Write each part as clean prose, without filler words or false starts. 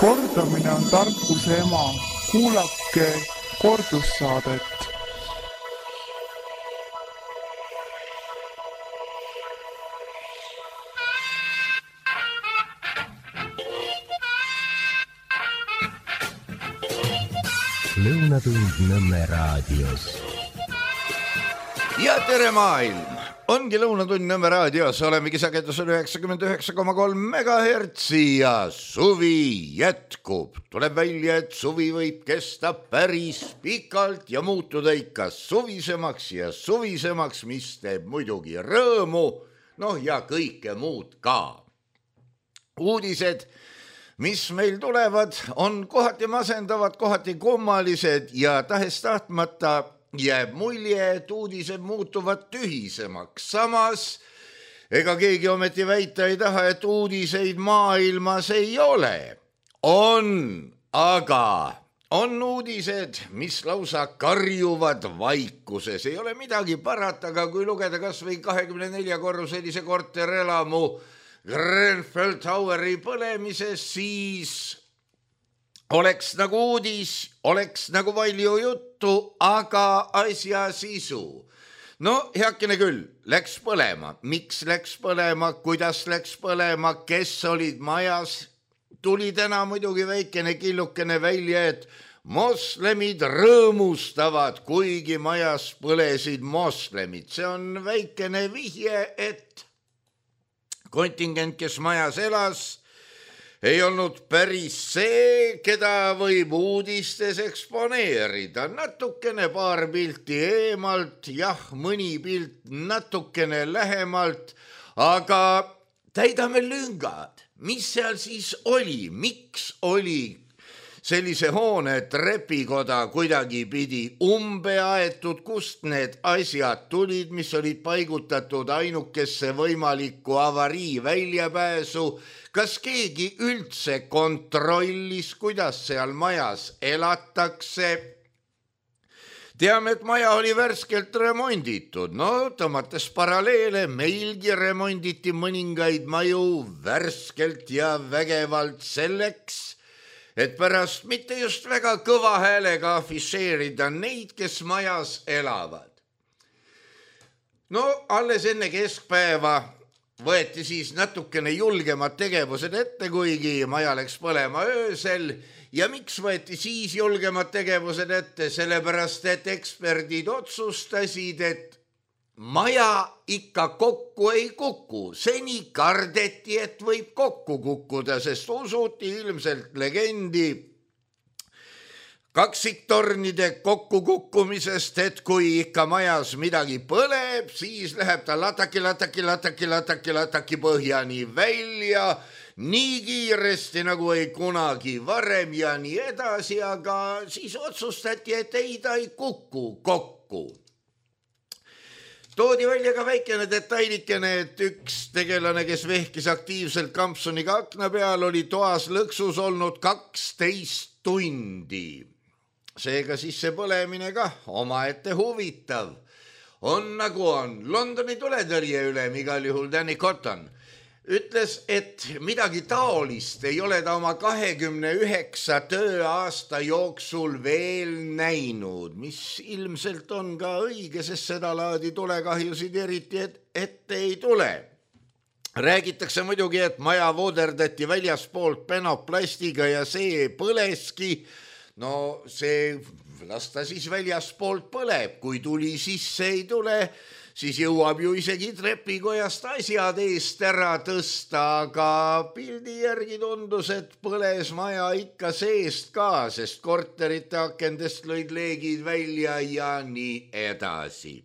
Kordamine on tarkuse ema. Kuulake kordussaadet. Lõunatund Nõmme raadios. Ja tere maailm! Ongi Lõunatund Nõmme raadios, olemegi sagedusel 99,3 megahertsi ja suvi jätkub. Tuleb välja, et suvi võib kesta päris pikalt ja muutuda ikka suvisemaks ja suvisemaks, mis teeb muidugi rõõmu, ja kõike muud ka. Uudised, mis meil tulevad, on kohati masendavad, kohati kummalised ja tahes-tahtmata jääb mulje, et uudised muutuvad tühisemaks. Samas, ega keegi ometi väita ei taha, et uudiseid maailmas ei ole. Aga on uudised, mis lausa karjuvad vaikuses. Ei ole midagi parata, aga kui lugeda kas või 24-korruselise korterelamu Grenfell Toweri põlemises, siis oleks nagu uudis, oleks nagu palju juttu, aga asja sisu. Heakene küll, läks põlema. Miks läks põlema, kuidas läks põlema, kes olid majas? Tuli täna muidugi väikene killukene välja, et moslemid rõõmustavad, kuigi majas põlesid moslemid. See on väikene vihje, et kontingent, kes majas elas, ei olnud päris see, keda võib uudistes eksponeerida. Natukene paar pilti eemalt, mõni pilt natukene lähemalt, aga täidame lüngad. Mis seal siis oli? Miks oli sellise hoone trepikoda kuidagi pidi aetud, kust need asjad tulid, mis olid paigutatud ainukesse võimalikku avarii väljapääsu? Kas keegi üldse kontrollis, kuidas seal majas elatakse? Teame, et maja oli värskelt remonditud. Tõmmates paralleele, meilgi remonditi mõningaid maju värskelt ja vägevalt selleks, et pärast mitte just väga kõva häälega afišeerida neid, kes majas elavad. Alles enne keskpäeva võeti siis natukene julgemad tegevused ette, kuigi maja läks põlema öösel. Ja miks võeti siis julgemad tegevused ette? Sellepärast, et eksperdid otsustasid, et maja ikka kokku ei kuku. Seni kardeti, et võib kokku kukkuda, sest usuti ilmselt legendi kaksiktornide kokkukukkumisest, et kui ikka majas midagi põleb, siis läheb ta lataki põhjani välja, nii kiiresti nagu ei kunagi varem ja nii edasi, aga siis otsustati, et ei, ta ei kuku kokku. Toodi välja ka väikene detailikene, et üks tegelane, kes vehkis aktiivselt kampsuniga akna peal, oli toas lõksus olnud 12 tundi. Seega siis see põlemine ka omaette huvitav. On nagu on. Londoni tuletõrje ülem igal juhul Danny Cotton ütles, et midagi taolist ei ole ta oma 29 tööaasta jooksul veel näinud, mis ilmselt on ka õige, sest seda laadi tulekahjusid eriti ette ei tule. Räägitakse muidugi, et maja vooderdati väljaspoolt penoplastiga ja see põleski. See lasta siis väljaspoolt põleb, kui tuli sisse ei tule, siis jõuab ju isegi trepikojast asjad eest ära tõsta, aga pildi järgi tundus, et põles maja ikka seest ka, sest korterite akendest lõid leegid välja ja nii edasi.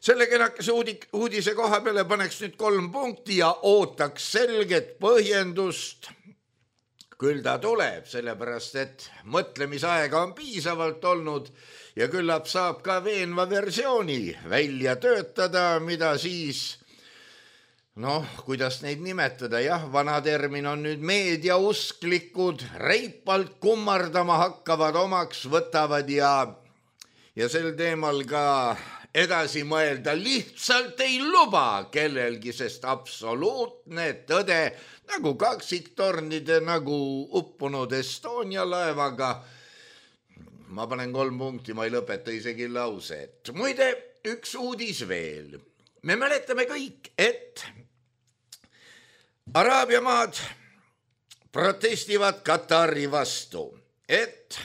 Selle kenakese uudise koha peale paneks nüüd 3 punkti ja ootaks selget põhjendust. Küll ta tuleb, sellepärast, et mõtlemisaega on piisavalt olnud ja küllap saab ka veenva versiooni välja töötada, mida siis, kuidas neid nimetada, vana termin on nüüd meediausklikud, reipalt kummardama hakkavad, omaks võtavad ja sel teemal ka edasi mõelda lihtsalt ei luba kellelgi, sest absoluutne tõde nagu kaksiktornide, nagu uppunud Estonia laevaga. Ma panen 3 punkti, ma ei lõpeta isegi lauset. Muide, üks uudis veel. Me mäletame kõik, et Araabia maad protestivad Katari vastu, et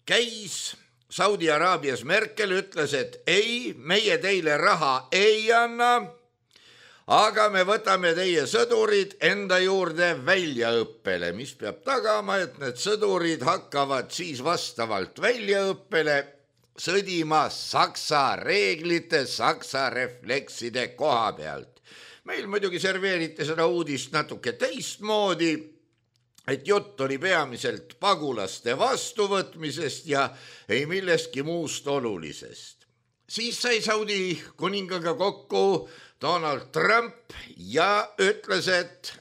käis Saudi Araabias Merkel, ütles, et ei, meie teile raha ei anna, aga me võtame teie sõdurid enda juurde väljaõppele, mis peab tagama, et need sõdurid hakkavad siis vastavalt väljaõppele sõdima Saksa reeglite, Saksa reflekside koha pealt. Meil muidugi serveeriti seda uudist natuke teistmoodi, et jutt oli peamiselt pagulaste vastuvõtmisest ja ei millestki muust olulisest. Siis sai Saudi kuningaga kokku Donald Trump ja ütles, et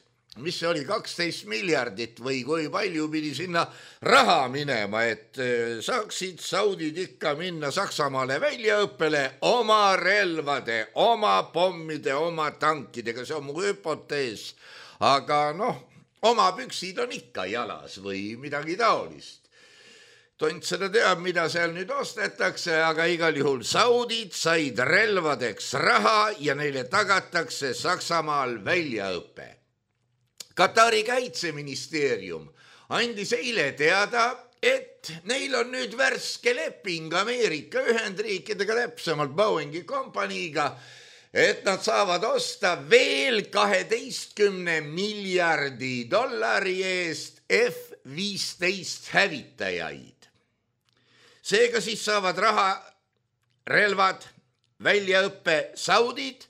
mis see oli 12 miljardit või kui palju pidi sinna raha minema, et saaksid Saudid ikka minna Saksamaale väljaõppele oma relvade, oma pommide, oma tankidega, see on mu hüpotees, aga oma püksid on ikka jalas või midagi taolist. Tont seda teab, mida seal nüüd ostetakse, aga igal juhul Saudid said relvadeks raha ja neile tagatakse Saksamaal väljaõpe. Katari kaitseministeerium andis eile teada, et neil on nüüd värske leping Ameerika Ühendriikidega, täpsemalt Boeingi kompaniiga, et nad saavad osta veel 12 miljardi dollari eest F-15 hävitajaid. Seega siis saavad raha, relvad, väljaõppe Saudid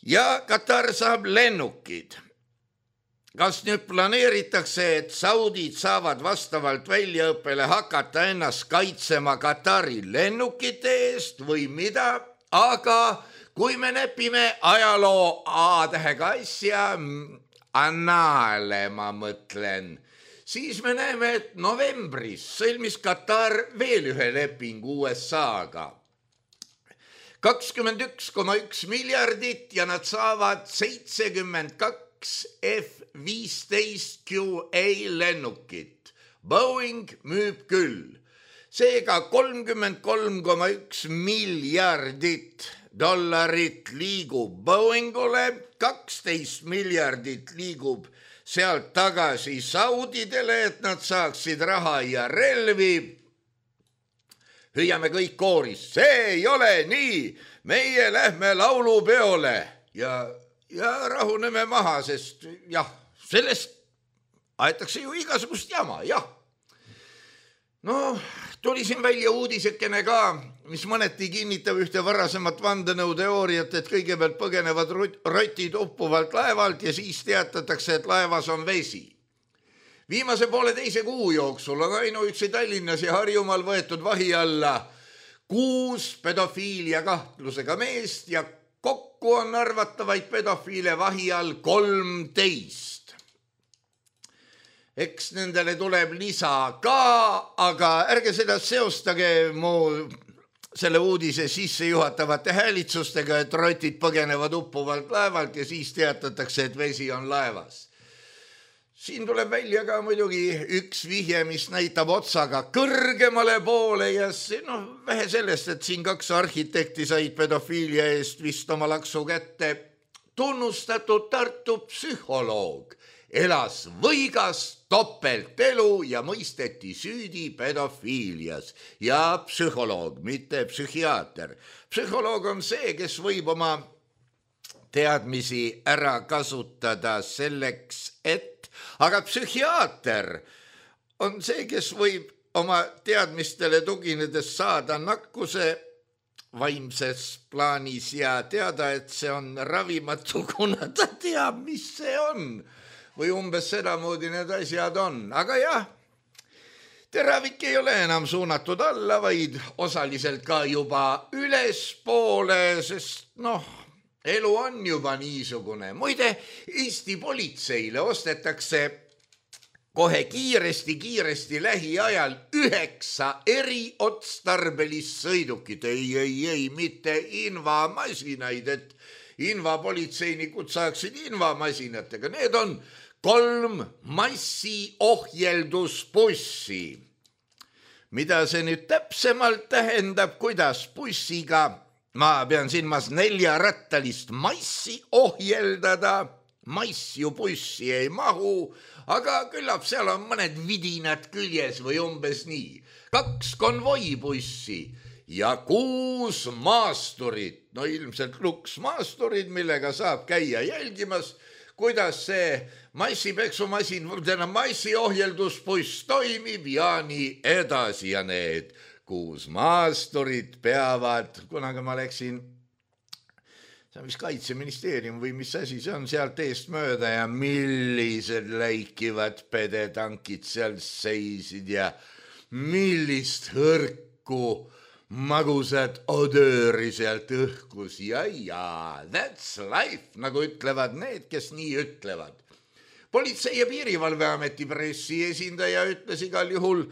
ja Katar saab lennukid. Kas nüüd planeeritakse, et Saudid saavad vastavalt väljaõppele hakata ennast kaitsema Katari lennukite eest või mida, aga kui me näpime ajaloo A-tähega asja, annaale ma mõtlen, siis me näeme, et novembris sõlmis Katar veel ühe lepingu USA-ga. 21,1 miljardit ja nad saavad 72 F-15 QA lennukit. Boeing müüb küll. Seega 33,1 miljardit dollarit liigub Boeingule, 12 miljardit liigub sealt tagasi Saudidele, et nad saaksid raha ja relvi. Hüüame kõik kooris, see ei ole nii, meie lähme laulupeole ja rahuneme maha, sest jah, sellest aetakse ju igasugust jama, jah. Tuli siin välja uudisekene ka, mis mõneti kinnitab ühte varasemat vandenõuteooriat, et kõigepealt põgenevad rotid uppuvalt laevalt ja siis teatatakse, et laevas on vesi. Viimase 1,5 kuu jooksul on ainuüksi Tallinnas ja Harjumaal võetud vahi alla 6 pedofiilia kahtlusega meest ja kokku on arvatavaid pedofiile vahi all 13. Eks nendele tuleb lisa ka, aga ärge seda seostage mu selle uudise sisse juhatavate häälitsustega, et rotid põgenevad uppuvalt laevalt ja siis teatatakse, et vesi on laevas. Siin tuleb välja ka muidugi üks vihje, mis näitab otsaga kõrgemale poole ja vähe sellest, et siin 2 arhitekti said pedofiilia eest vist oma laksu kätte. Tunnustatud Tartu psühholoog elas võigas topeltelu ja mõisteti süüdi pedofiilias. Ja psühholoog, mitte psühhiaater. Psühholoog on see, kes võib oma teadmisi ära kasutada selleks, aga psühhiaater on see, kes võib oma teadmistele tuginedes saada nakkuse vaimses plaanis ja teada, et see on ravimatu, kuna ta teab, mis see on. Või umbes sedamoodi need asjad on. Aga jah, teravik ei ole enam suunatud alla, vaid osaliselt ka juba ülespoole, sest elu on juba niisugune. Muide, Eesti politseile ostetakse kohe kiiresti lähiajal 9 eriotstarbelist sõidukit, ei, mitte invamasinaid, et invapolitseinikud saaksid invamasinatega, need on 3 massiohjeldusbussi. Mida see nüüd täpsemalt tähendab, kuidas bussiga, ma pean silmas 4-rattalist massi ohjeldada, mass ju bussi ei mahu, aga küllap seal on mõned vidinad küljes või umbes nii. 2 konvoibussi ja 6 maasturit, no ilmselt luksmaasturid, millega saab käia jälgimas, kuidas see massipeksumasin, massiohjeldusbuss toimib ja nii edasi ja need 6 maasturid peavad, kunagi ma läksin, see on vist Kaitseministeerium või mis asi see on, sealt eest mööda ja millised läikivad pedetankid seal seisid ja millist hõrku magusad odööri sealt õhkus ja, that's life, nagu ütlevad need, kes nii ütlevad. Politsei- ja Piirivalveameti pressiesindaja ütles igal juhul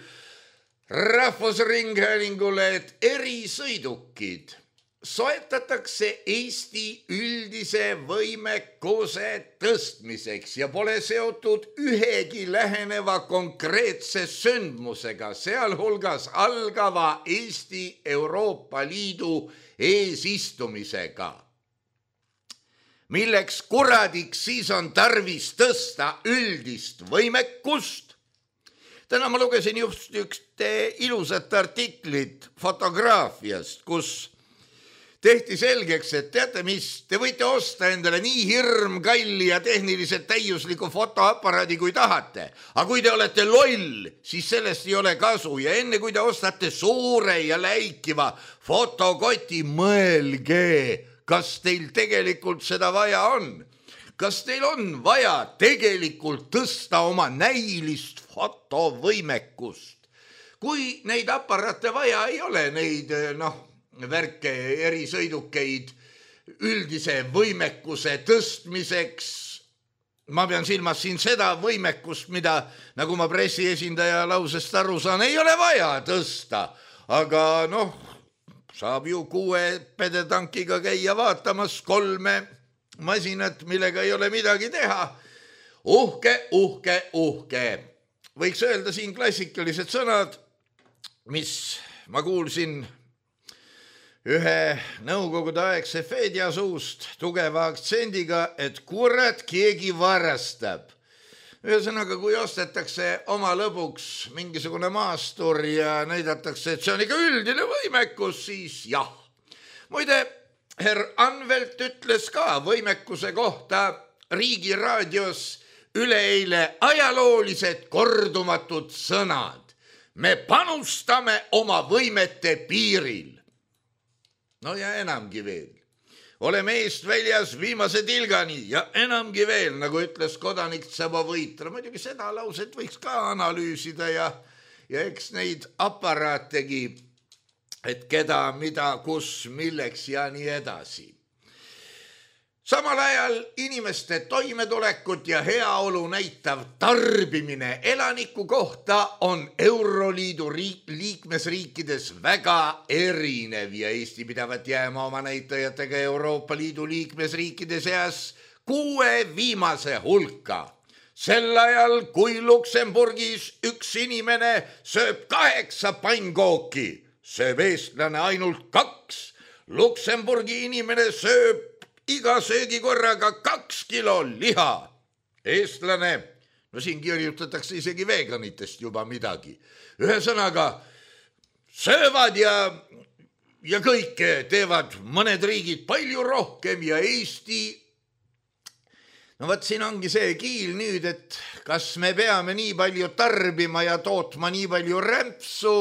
Rahvusringhäälingule, et erisõidukid soetatakse Eesti üldise võimekuse tõstmiseks ja pole seotud ühegi läheneva konkreetse sündmusega, sealhulgas algava Eesti Euroopa Liidu eesistumisega. Milleks kuradiks siis on tarvis tõsta üldist võimekust? Täna ma lugesin just üks ilusat artiklit fotograafiast, kus tehti selgeks, et teate mis, te võite osta endale nii hirmkalli ja tehniliselt täiusliku fotoaparaadi kui tahate, aga kui te olete loll, siis sellest ei ole kasu ja enne kui te ostate suure ja läikiva fotokoti, mõelge, kas teil tegelikult seda vaja on. Kas teil on vaja tegelikult tõsta oma näilist fotovõimekust? Kui neid aparaate vaja ei ole, neid värke erisõidukeid üldise võimekuse tõstmiseks, ma pean silmas siin seda võimekust, mida, nagu ma pressiesindaja lausest aru saan, ei ole vaja tõsta, aga saab ju 6 pedetankiga käia vaatamas 3 masinat, millega ei ole midagi teha. Uhke. Võiks öelda siin klassikalised sõnad, mis ma kuulsin ühe nõukogudeaegse feedja suust tugeva aktsendiga, et kurat keegi varastab. Ühesõnaga, kui ostetakse oma lõbuks mingisugune maastur ja näidatakse, et see on ikka üldine võimekus, siis jah. Muide, herr Anvelt ütles ka võimekuse kohta Riigi raadios üleeile ajaloolised kordumatud sõnad. Me panustame oma võimete piiril. No ja enamgi veel. Oleme eest väljas viimase tilgani ja enamgi veel, nagu ütles kodanik Tsabovõitra. Muidugi seda lauset võiks ka analüüsida ja eks neid aparaategi, et keda, mida, kus, milleks ja nii edasi. Samal ajal inimeste toimetulekut ja heaolu näitav tarbimine elaniku kohta on Euroliidu liikmesriikides väga erinev ja Eesti pidavat jääma oma näitajatega Euroopa Liidu liikmesriikide seas 6 viimase hulka. Sel ajal, kui Luksemburgis üks inimene sööb 8 pannkooki, sööb eestlane ainult 2. Luksemburgi inimene sööb iga söögikorraga 2 kilo liha. Eestlane, no siin kirjutatakse isegi veganitest juba midagi. Ühesõnaga, söövad ja kõike teevad mõned riigid palju rohkem ja Eesti. No võt siin ongi see kiil nüüd, et kas me peame nii palju tarbima ja tootma nii palju rämpsu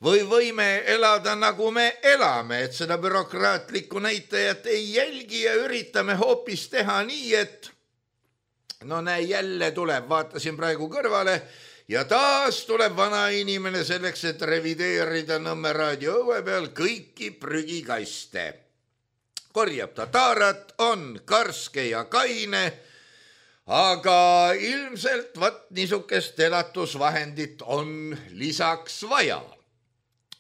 või võime elada nagu me elame, et seda bürokraatlikku näitajat ei jälgi ja üritame hoopis teha nii, et no näe, jälle tuleb, vaatasin praegu kõrvale ja taas tuleb vana inimene selleks, et revideerida Nõmme raadio õue peal kõiki prügikaste. Korjab ta taarat, on karske ja kaine, aga ilmselt niisugust elatusvahendit on lisaks vaja.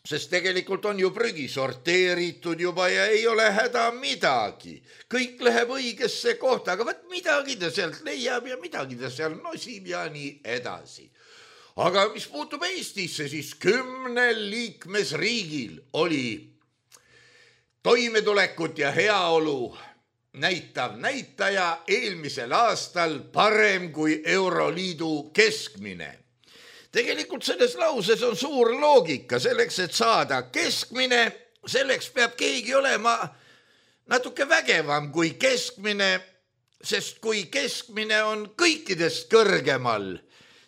Sest tegelikult on ju prügi sorteeritud juba ja ei ole häda midagi. Kõik läheb õigesse kohta, aga midagi ta sealt leiab ja midagi ta seal nosib ja nii edasi. Aga mis puutub Eestisse, siis 10 liikmesriigil oli toimetulekut ja heaolu näitav näitaja eelmisel aastal parem kui Euroliidu keskmine. Tegelikult selles lauses on suur loogika. Selleks, et saada keskmine, selleks peab keegi olema natuke vägevam kui keskmine, sest kui keskmine on kõikidest kõrgemal,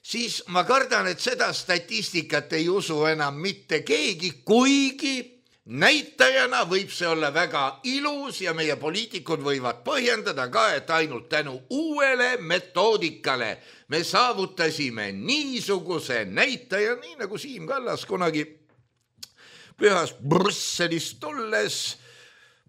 siis ma kardan, et seda statistikat ei usu enam mitte keegi, kuigi näitajana võib see olla väga ilus ja meie poliitikud võivad põhjendada ka, et ainult tänu uuele metoodikale me saavutasime niisuguse näitaja, nii nagu Siim Kallas kunagi pühas Brüsselist tulles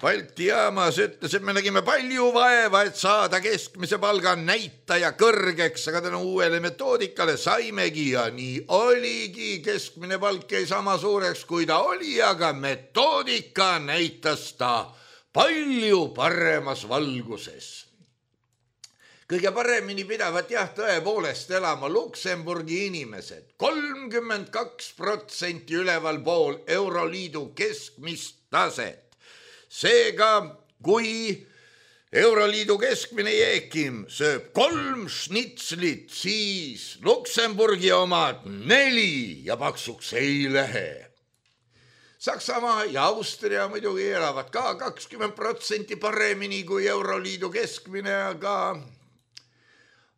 Balti jaamas ütles, et me nägime palju vaeva, et saada keskmise palga näitaja kõrgeks, aga tänu uuele metoodikale saimegi ja nii oligi. Keskmine palk jäi sama suureks, kui ta oli, aga metoodika näitas ta palju paremas valguses. Kõige paremini pidavat tõepoolest elama Luksemburgi inimesed. 32% üleval pool Euroliidu keskmist taset. Seega, kui Euroliidu keskmine Jeekim sööb 3 šnitslit, siis Luksemburgi omad 4 ja paksuks ei lähe. Saksamaa ja Austria muidugi elavad ka 20% paremini kui Euroliidu keskmine,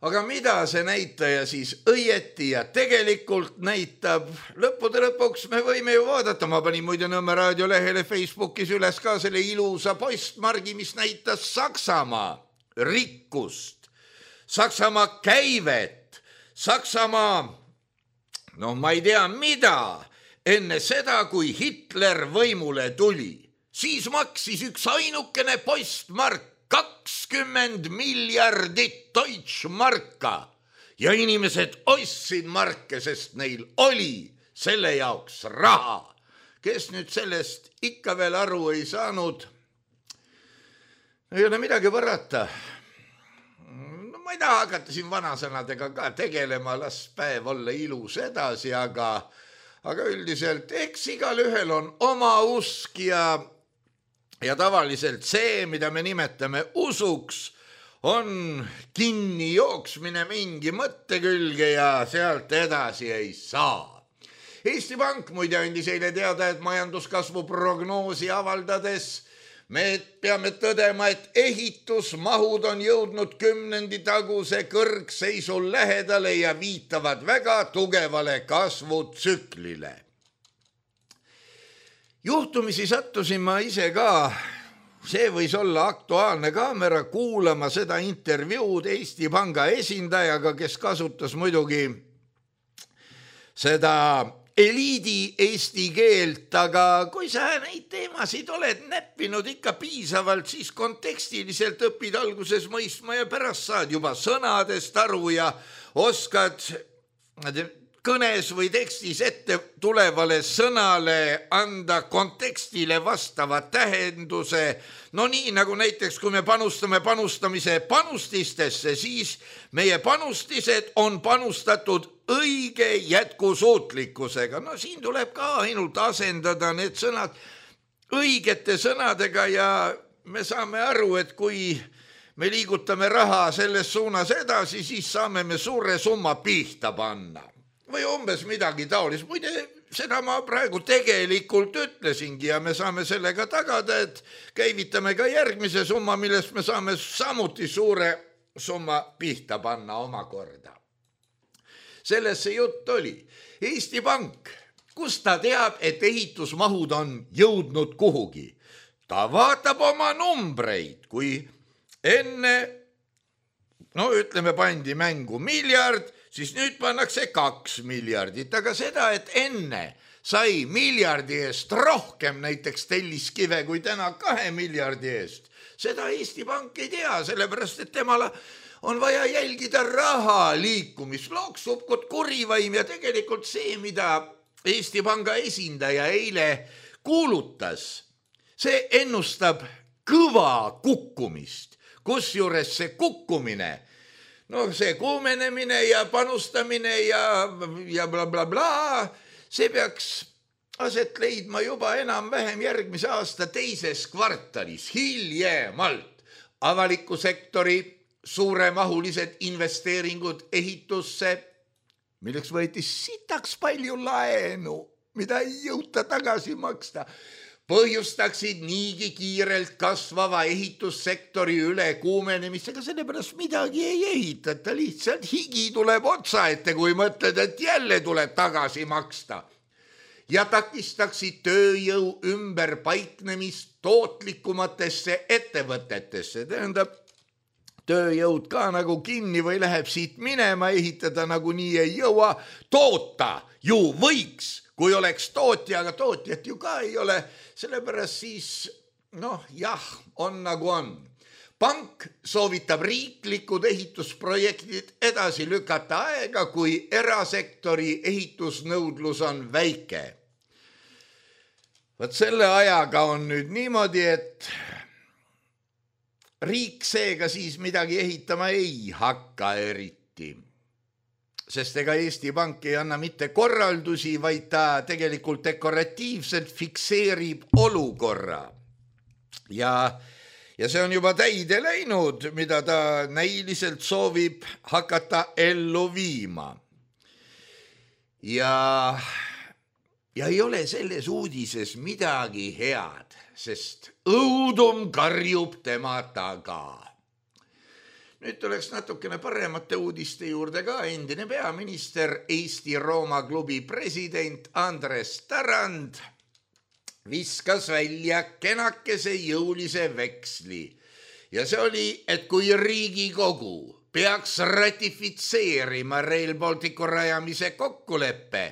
aga mida see näitaja siis õieti ja tegelikult näitab? Lõppude lõpuks me võime ju vaadata, ma panin muide Nõmme raadio lehele Facebookis üles ka selle ilusa postmargi, mis näitas Saksamaa rikkust, Saksamaa käivet, Saksamaa, ma ei tea mida, enne seda, kui Hitler võimule tuli, siis maksis üks ainukene postmark 20 miljardit Deutschmarka ja inimesed ostsid marke, sest neil oli selle jaoks raha. Kes nüüd sellest ikka veel aru ei saanud, ei ole midagi parata. Ma ei taha hakata siin vanasõnadega ka tegelema, las päev olla ilus edasi, aga üldiselt eks igal ühel on oma usk ja tavaliselt see, mida me nimetame usuks, on kinni jooksmine mingi mõtte külge ja sealt edasi ei saa. Eesti Pank muide andis eile teada, et majanduskasvu prognoosi avaldades me peame tõdema, et ehitusmahud on jõudnud 10. taguse kõrgseisu lähedale ja viitavad väga tugevale kasvutsüklile. Juhtumisi sattusin ma ise ka, see võis olla Aktuaalne Kaamera, kuulama seda intervjuud Eesti Panga esindajaga, kes kasutas muidugi seda eliidi eesti keelt, aga kui sa neid teemasid oled näppinud ikka piisavalt, siis kontekstiliselt õpid alguses mõistma ja pärast saad juba sõnadest aru ja oskad kõnes või tekstis ette tulevale sõnale anda kontekstile vastava tähenduse. No nii nagu näiteks, kui me panustame panustamise panustistesse, siis meie panustised on panustatud õige jätkusuutlikkusega. No siin tuleb ka ainult asendada need sõnad õigete sõnadega ja me saame aru, et kui me liigutame raha selles suunas edasi, siis saame me suure summa pihta panna. Või umbes midagi taolist. Muide, seda ma praegu tegelikult ütlesingi ja me saame sellega tagada, et käivitame ka järgmise summa, millest me saame samuti suure summa pihta panna omakorda. Selles see jutt oli. Eesti Pank, kus ta teab, et ehitusmahud on jõudnud kuhugi? Ta vaatab oma numbreid, kui enne, ütleme, pandi mängu miljard, siis nüüd pannakse 2 miljardit, aga seda, et enne sai miljardi eest rohkem näiteks telliskive kui täna 2 miljardi eest, seda Eesti Pank ei tea, sellepärast et temal on vaja jälgida raha liikumist, loksub kot kurivaim ja tegelikult see, mida Eesti Panga esindaja eile kuulutas, see ennustab kõva kukkumist, kusjuures see kukkumine, see kuumenemine ja panustamine ja bla bla bla, see peaks aset leidma juba enam-vähem järgmise aasta teises kvartalis, hiljemalt. Avaliku sektori suuremahulised investeeringud ehitusse, milleks võeti sitaks palju laenu, mida ei jõuta tagasi maksta, põhjustaksid niigi kiirelt kasvava ehitussektori ülekuumenemist, ega sellepärast midagi ei ehitata, lihtsalt higi tuleb otsa ette, kui mõtled, et jälle tuleb tagasi maksta. Ja takistaksid tööjõu ümberpaiknemist tootlikumatesse ettevõtetesse, tähendab, tööjõud ka nagu kinni või läheb siit minema, ehitada nagu nii ei jõua, toota ju võiks, kui oleks tootja, aga tootjat ju ka ei ole, sellepärast siis, on nagu on. Pank soovitab riiklikud ehitusprojektid edasi lükata aega, kui erasektori ehitusnõudlus on väike. Võt selle ajaga on nüüd niimoodi, et riik seega siis midagi ehitama ei hakka eriti, sest ega Eesti Pank ei anna mitte korraldusi, vaid ta tegelikult dekoratiivselt fikseerib olukorra. Ja see on juba täide läinud, mida ta näiliselt soovib hakata ellu viima. Ja ei ole selles uudises midagi head, sest õudum karjub tema taga. Nüüd tuleks natukene paremate uudiste juurde ka. Endine peaminister, Eesti Rooma klubi president Andres Tarand viskas välja kenakese jõulise veksli. Ja see oli, et kui Riigikogu peaks ratifitseerima Rail Balticu rajamise kokkuleppe,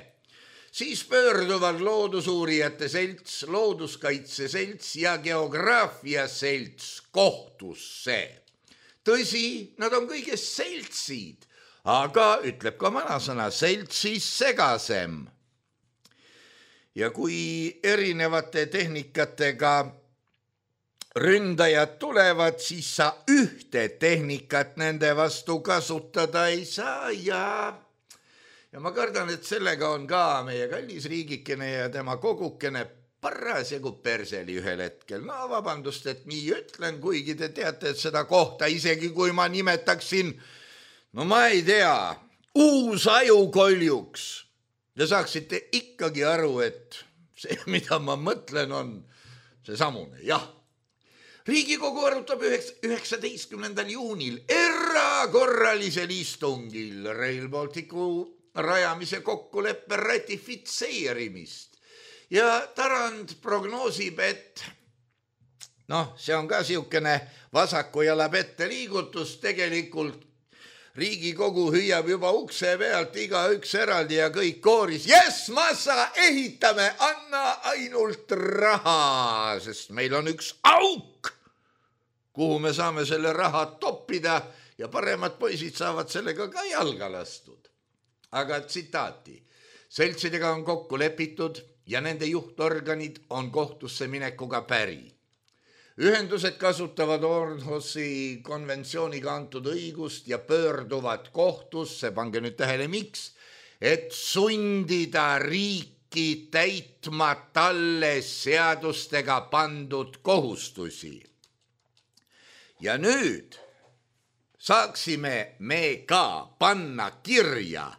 siis pöörduvad loodusuurijate selts, looduskaitse selts ja geograafia selts kohtusse. Tõsi, nad on kõigest seltsid, aga ütleb ka vanasõna, seltsis segasem. Ja kui erinevate tehnikatega ründajad tulevad, siis sa ühte tehnikat nende vastu kasutada ei saa ja ma kardan, et sellega on ka meie kallis riigikene ja tema kogukene parasjagu perseli ühel hetkel. Vabandust, et nii ütlen, kuigi te teate, et seda kohta, isegi kui ma nimetaksin, ma ei tea, uus ajukoljuks. Ja saaksite ikkagi aru, et see, mida ma mõtlen, on see samune. Jah, Riigikogu arutab 19. juunil erakorralisel istungil Rail Balticu rajamise kokkuleppe ratifitseerimist. Ja Tarand prognoosib, et see on ka siukene vasaku jala pette liigutus, tegelikult Riigikogu hüüab juba ukse pealt igaüks eraldi ja kõik kooris. Yes, massa, ehitame, anna ainult raha, sest meil on üks auk, kuhu me saame selle raha toppida ja paremad poisid saavad sellega ka jalga lastud. Aga tsitaati, seltsidega on kokku lepitud ja nende juhtorganid on kohtusse minekuga päri. Ühendused kasutavad Orhusi konventsiooniga antud õigust ja pöörduvad kohtusse, pange nüüd tähele miks, et sundida riiki täitma talle seadustega pandud kohustusi. Ja nüüd saaksime me ka panna kirja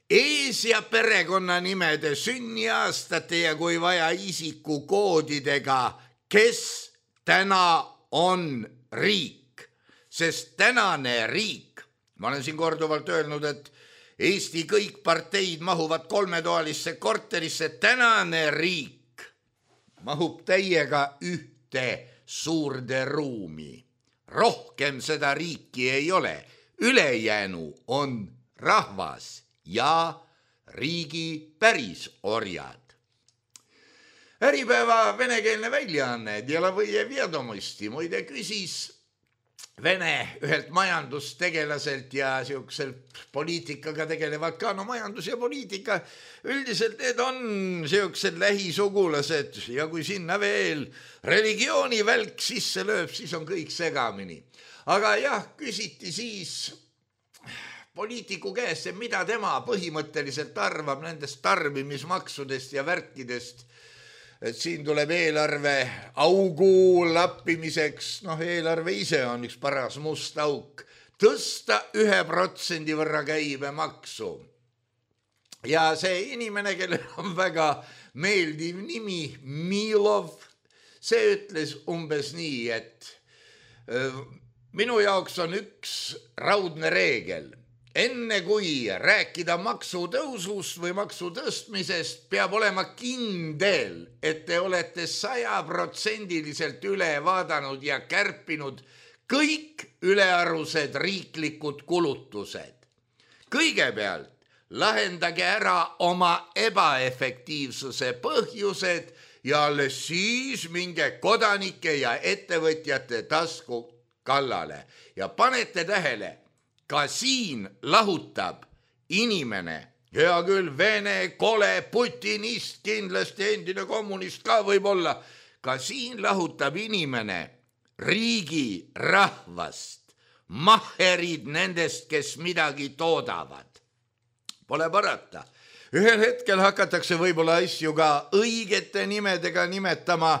ees- ja perekonnanimede sünniaastate ja kui vaja isikukoodidega, kes täna on riik, sest tänane riik, ma olen siin korduvalt öelnud, et Eesti kõik parteid mahuvad 3-toalisse korterisse, tänane riik mahub täiega ühte suurde ruumi. Rohkem seda riiki ei ole, ülejäänu on rahvas ja riigi pärisorjad. Äripäeva venekeelne väljaanne Delovoje Vjedomosti muide küsis Vene ühelt majandustegelaselt ja siukselt poliitikaga tegelevad ka, no majandus ja poliitika, üldiselt need on siuksed lähisugulased ja kui sinna veel religiooni välk sisse lööb, siis on kõik segamini. Aga jah, küsiti siis poliitiku käest, mida tema põhimõtteliselt arvab nendest tarbimismaksudest ja värkidest, et siin tuleb eelarve augu lappimiseks, eelarve ise on üks paras must auk, tõsta 1% võrra käibemaksu. Ja see inimene, kellel on väga meeldiv nimi, Milov, see ütles umbes nii, et minu jaoks on üks raudne reegel. Enne kui rääkida maksutõusust või maksutõstmisest, peab olema kindel, et te olete 100% üle vaadanud ja kärpinud kõik ülearused riiklikud kulutused. Kõigepealt lahendage ära oma ebaefektiivsuse põhjused ja alles siis minge kodanike ja ettevõtjate tasku kallale ja panete tähele, ka siin lahutab inimene, hea küll, Vene, kole, putinist, kindlasti endine kommunist ka võib-olla, ka siin lahutab inimene riigi rahvast, mahherid nendest, kes midagi toodavad. Pole parata. Ühel hetkel hakatakse võib-olla asju ka õigete nimedega nimetama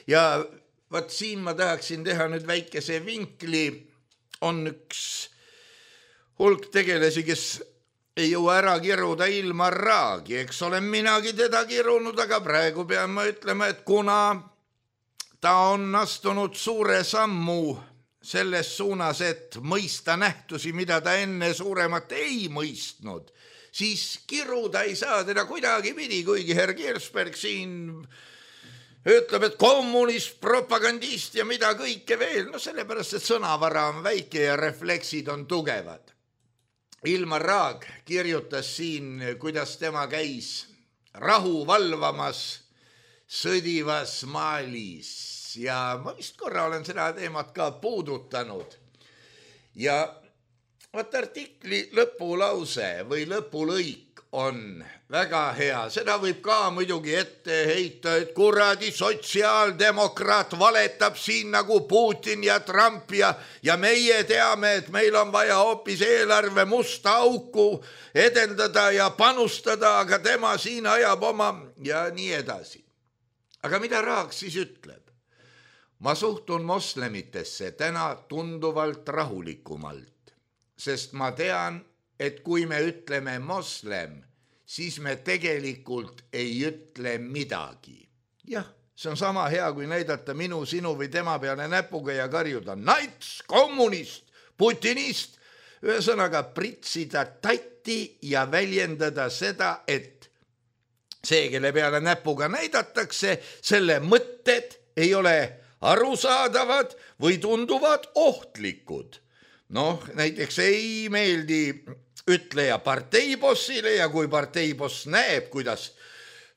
ja vaat siin ma tahaksin teha nüüd väikese vinkli, on üks hulk tegelesi, kes ei jõua ära kiruda ilma raagi, eks olen minagi teda kirunud, aga praegu pean ma ütlema, et kuna ta on astunud suure sammu selles suunas, et mõista nähtusi, mida ta enne suuremat ei mõistnud, siis kiruda ei saa teda kuidagi pidi, kuigi herr Kirsberg siin ütleb, et kommunist, propagandist ja mida kõike veel, sellepärast, et sõnavara on väike ja refleksid on tugevad. Ilmar Raag kirjutas siin, kuidas tema käis rahu valvamas sõdivas Malis ja ma vist korra olen seda teemat ka puudutanud. Ja vaat artikli lõpulause või lõpulõik on väga hea, seda võib ka muidugi ette heita, et kuradi sotsiaaldemokraat valetab siin nagu Putin ja Trump ja meie teame, et meil on vaja hoopis eelarve musta auku edendada ja panustada, aga tema siin ajab oma ja nii edasi. Aga mida Raag siis ütleb? Ma suhtun moslemitesse täna tunduvalt rahulikumalt, sest ma tean, et kui me ütleme moslem, siis me tegelikult ei ütle midagi. Jah, see on sama hea, kui näidata minu, sinu või tema peale näpuga ja karjuda nats, kommunist, putinist, ühesõnaga pritsida tatti ja väljendada seda, et see, kelle peale näpuga näidatakse, selle mõtted ei ole arusaadavad või tunduvad ohtlikud. Näiteks ei meeldi ütleja parteibossile ja kui parteiboss näeb, kuidas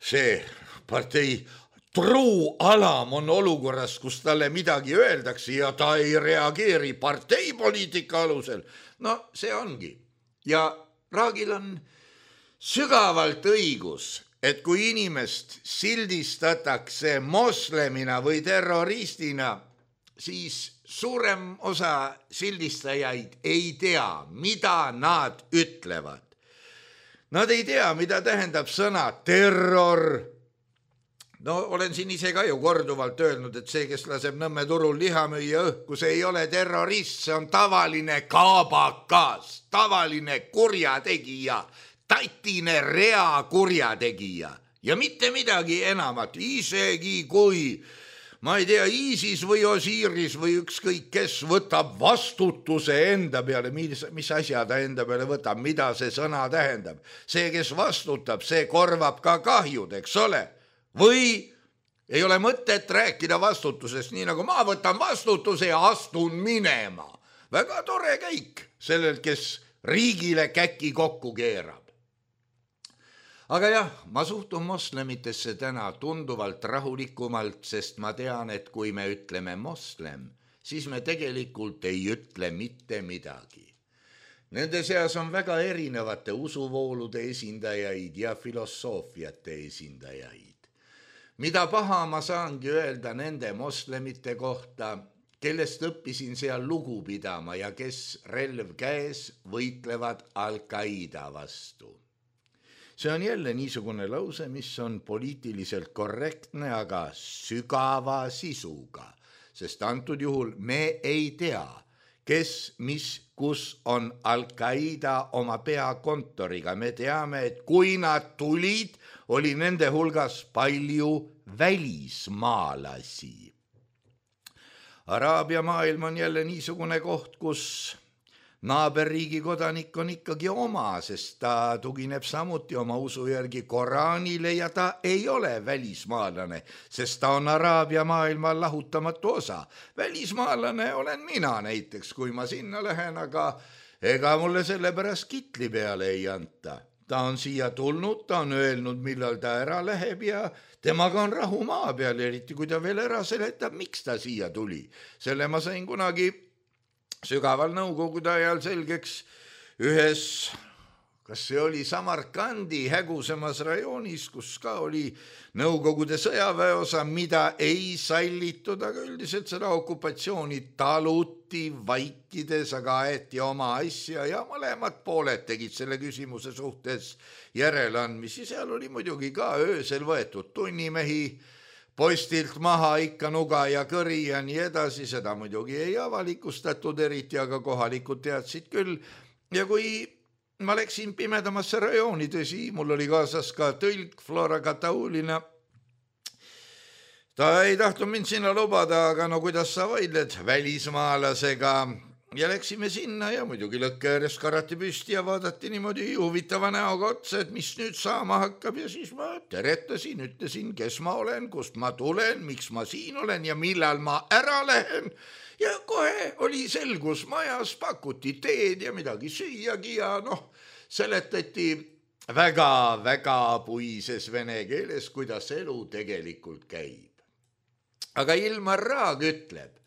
see partei truualam on olukorras, kus talle midagi öeldakse ja ta ei reageeri parteipoliitika alusel, see ongi. Ja Raagil on sügavalt õigus, et kui inimest sildistatakse moslemina või terroristina, siis suurem osa sildistajaid ei tea, mida nad ütlevad. Nad ei tea, mida tähendab sõna terror. Olen siin ise ka ju korduvalt öelnud, et see, kes laseb Nõmme turul liha müüa õhku, see ei ole terrorist, see on tavaline kaabakas, tavaline kurjategija, tatine rea kurjategija ja mitte midagi enamat, isegi kui ma ei tea, ISIS või Osiris või ükskõik kes võtab vastutuse enda peale, mis asja ta enda peale võtab, mida see sõna tähendab. See, kes vastutab, see korvab ka kahjud, eks ole? Või ei ole mõtet rääkida vastutusest, nii nagu ma võtan vastutuse ja astun minema. Väga tore käik sellelt, kes riigile käki kokku keerab. Aga jah, ma suhtun moslemitesse täna tunduvalt rahulikumalt, sest ma tean, et kui me ütleme moslem, siis me tegelikult ei ütle mitte midagi. Nende seas on väga erinevate usuvoolude esindajaid ja filosoofiate esindajaid. Mida paha ma saangi öelda nende moslemite kohta, kellest õppisin seal lugu pidama ja kes relv käes võitlevad Al-Qaeda vastu. See on jälle niisugune lause, mis on poliitiliselt korrektne, aga sügava sisuga, sest antud juhul me ei tea, kes, mis, kus on Al-Qaeda oma peakontoriga. Me teame, et kui nad tulid, oli nende hulgas palju välismaalasi. Araabia maailm on jälle niisugune koht, kus naaberriigi kodanik on ikkagi oma, sest ta tugineb samuti oma usu järgi Koraanile ja ta ei ole välismaalane, sest ta on Araabia maailma lahutamatu osa. Välismaalane olen mina näiteks, kui ma sinna lähen, aga ega mulle selle pärast kitli peale ei anta. Ta on siia tulnud, ta on öelnud, millal ta ära läheb ja temaga on rahu maa peal, eriti kui ta veel ära seletab, miks ta siia tuli. Selle ma sain kunagi sügaval nõukogude ajal selgeks ühes, kas see oli Samarkandi hägusemas rajoonis, kus ka oli nõukogude sõjaväeosa, mida ei sallitud, aga üldiselt seda okupatsiooni taluti vaikides, aga aeti oma asja ja mõlemad pooled tegid selle küsimuse suhtes järeleandmisi. Seal oli muidugi ka öösel võetud tunnimehi, postilt maha ikka nuga ja kõri ja nii edasi, seda muidugi ei avalikustatud eriti, aga kohalikud teadsid küll. Ja kui ma läksin pimedamasse rajooni, tõsi, mul oli kaasas ka tõlk Flora Kataulina. Ta ei tahtnud mind sinna lubada, aga no kuidas sa vaidled välismaalasega. Ja läksime sinna ja muidugi lõkke ääres karati püsti ja vaadati niimoodi huvitava näoga otsa, et mis nüüd saama hakkab. Ja siis ma teretasin, ütlesin, kes ma olen, kust ma tulen, miks ma siin olen ja millal ma ära lähen. Ja kohe oli selgus majas, pakuti teed ja midagi süüagi ja seletati väga puises vene keeles, kuidas elu tegelikult käib. Aga Ilmar Raag ütleb,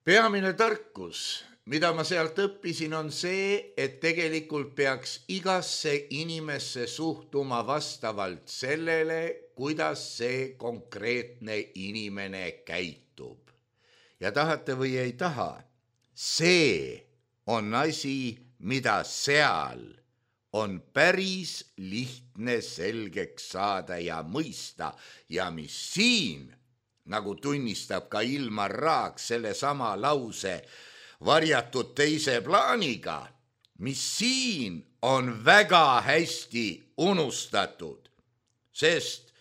peamine tarkus, mida ma sealt õppisin, on see, et tegelikult peaks igasse inimesse suhtuma vastavalt sellele, kuidas see konkreetne inimene käitub. Ja tahate või ei taha, see on asi, mida seal on päris lihtne selgeks saada ja mõista ja mis siin, nagu tunnistab ka Ilmar Raag selle sama lause varjatud teise plaaniga, mis siin on väga hästi unustatud, sest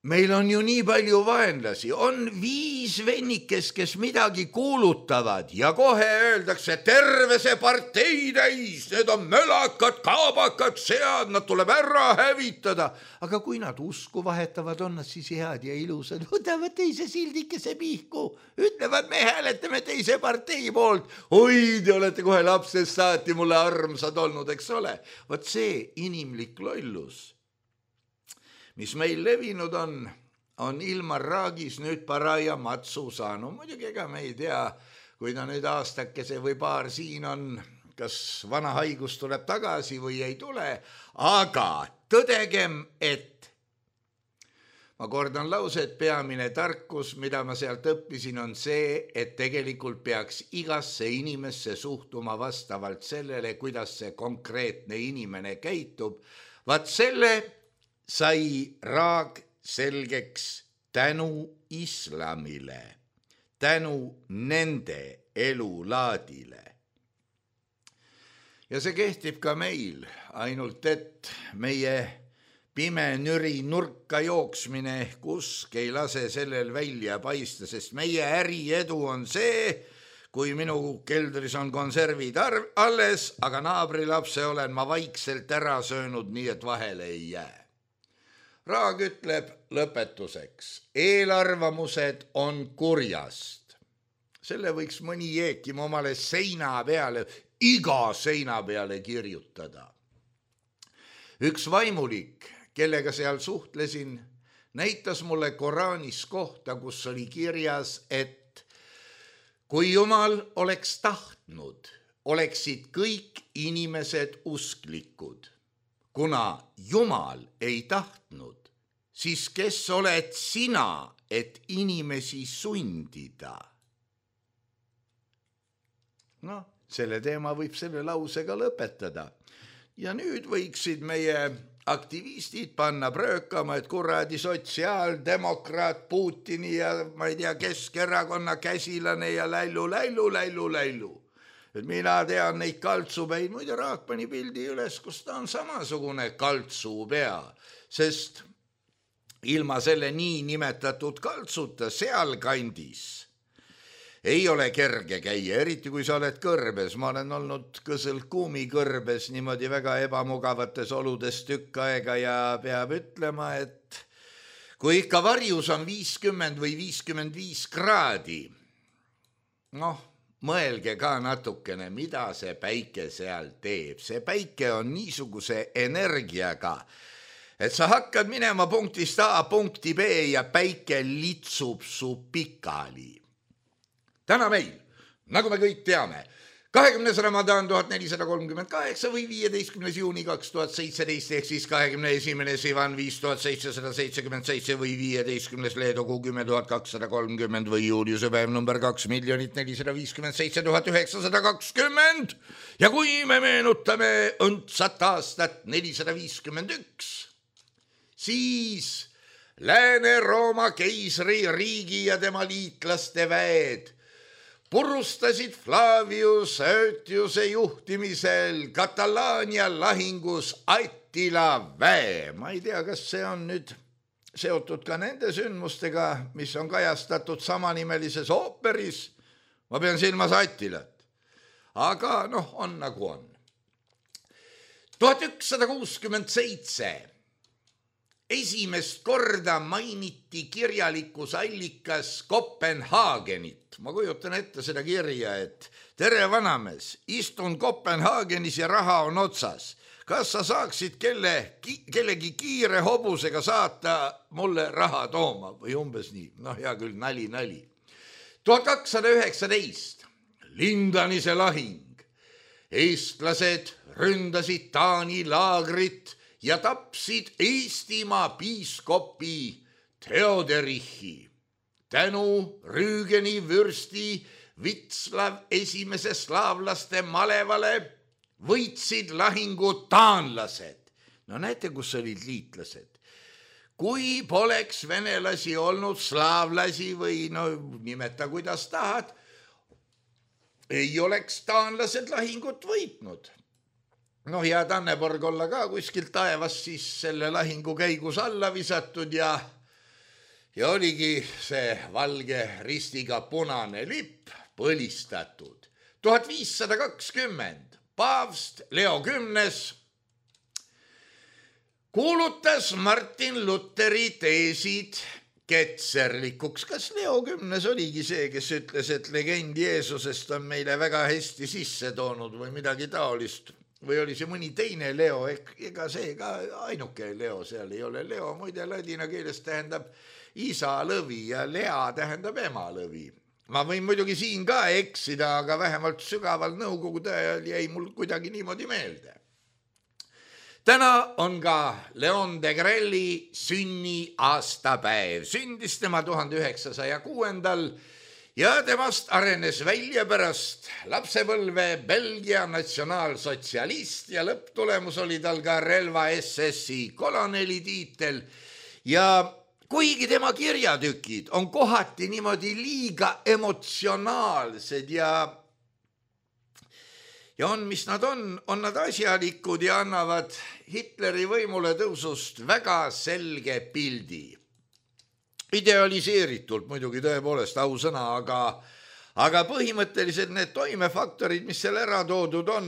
meil on ju nii palju vaenlasi, on 5 vennikest, kes midagi kuulutavad ja kohe öeldakse terve see partei täis, need on mölakad, kaabakad, sead, nad tuleb ära hävitada. Aga kui nad usku vahetavad, on nad siis head ja ilusad, võtavad teise sildikese pihku, ütlevad, me hääletame teise partei poolt. Oi, te olete kohe lapsest saati mulle armsad olnud, eks ole. Võt see inimlik lollus, mis meil levinud on Ilmar Raagis nüüd paraja matsu saanud. Muidugi ega me ei tea, kui ta nüüd aastakese või paar siin on, kas vana haigus tuleb tagasi või ei tule, aga tõdegem, et ma kordan lause, et peamine tarkus, mida ma sealt õppisin, on see, et tegelikult peaks igasse inimesse suhtuma vastavalt sellele, kuidas see konkreetne inimene käitub. Vaat selle sai Raag selgeks tänu islamile, tänu nende elulaadile. Ja see kehtib ka meil, ainult et meie pime nüri nurka jooksmine ehk usk ei lase sellel välja paista, sest meie äriedu on see, kui minu keldris on konservid alles, aga naabrilapse olen ma vaikselt ära söönud, nii et vahele ei jää. Raag ütleb lõpetuseks, eelarvamused on kurjast. Selle võiks mõni jeekim omale seina peale, iga seina peale kirjutada. Üks vaimulik, kellega seal suhtlesin, näitas mulle Koraanis kohta, kus oli kirjas, et kui Jumal oleks tahtnud, oleksid kõik inimesed usklikud. Kuna Jumal ei tahtnud, siis kes oled sina, et inimesi sundida? No, selle teema võib selle lausega lõpetada. Ja nüüd võiksid meie aktivistid panna pröökama, et kuradi sotsiaaldemokraat Putini ja ma ei tea, Keskerakonna käsilane ja läilu. Et mina tean neid kaltsupäid, muide Raak pani pildi üles, kus ta on samasugune kaltsupea, sest ilma selle nii nimetatud kaltsuta sealkandis ei ole kerge käia, eriti kui sa oled kõrbes. Ma olen olnud Kõsõlt Kuumi kõrbes niimoodi väga ebamugavates oludes tükk aega ja peab ütlema, et kui ikka varjus on 50 või 55 kraadi, noh, mõelge ka natukene, mida see päike seal teeb. See päike on niisuguse energiaga, et sa hakkad minema punktist A punkti B ja päike litsub su pikali. Täna meil, nagu me kõik teame, 20. Ramadan 1438 või 15. juuni 2017 ehk siis 21. Sivan 5777 või 15. Leedogu 10230 või Juliuse päev number 2 457 920. Ja kui me meenutame õndsat aastat 451, siis Lääne-Rooma keisri riigi ja tema liitlaste väed purustasid Flavius Aetiuse juhtimisel Katalaania lahingus Attila väe. Ma ei tea, kas see on nüüd seotud ka nende sündmustega, mis on kajastatud samanimelises ooperis. Ma pean silmas Attilat. Aga noh, on nagu on. 1167 esimest korda mainiti kirjalikus allikas Kopenhaagenit. Ma kujutan ette seda kirja, et tere vanamees, istun Kopenhaagenis ja raha on otsas. Kas sa saaksid kellegi kiire hobusega saata mulle raha tooma või umbes nii? Noh, hea küll, nali. 1219 Lindanise lahing. Eestlased ründasid Taani laagrit ja tapsid Eestimaa piiskopi Theoderichi. Tänu Rüügeni vürsti Vitslav esimese slaavlaste malevale võitsid lahingu taanlased. No näete, kus olid liitlased. Kui poleks venelasi olnud, slaavlasi või no nimeta kuidas tahad, ei oleks taanlased lahingut võitnud. Noh, ja Tanneborg olla ka kuskilt taevas siis selle lahingu käigus alla visatud ja oligi see valge ristiga punane lipp põlistatud. 1520 paavst Leo X kuulutas Martin Lutheri teesid ketserlikuks. Kas Leo X oligi see, kes ütles, et legend Jeesusest on meile väga hästi sisse toonud või midagi taolist? Või oli see mõni teine Leo, ega see ka ainuke Leo seal ei ole. Leo muide ladina keeles tähendab isa lõvi ja Lea tähendab ema lõvi. Ma võin muidugi siin ka eksida, aga vähemalt sügaval nõukogude ajal jäi mul kuidagi niimoodi meelde. Täna on ka Leon de Grelli sünni aastapäev. Sündis tema 1906. Ja temast arenes välja pärast lapsepõlve Belgia natsionaalsotsialist ja lõpptulemus oli tal ka relva SS-i koloneli tiitel. Ja kuigi tema kirjatükid on kohati niimoodi liiga emotsionaalsed ja on, mis nad on nad asjalikud ja annavad Hitleri võimule tõusust väga selge pildi. Idealiseeritult muidugi tõepoolest ausõna, aga põhimõtteliselt need toimefaktorid, mis seal ära toodud on,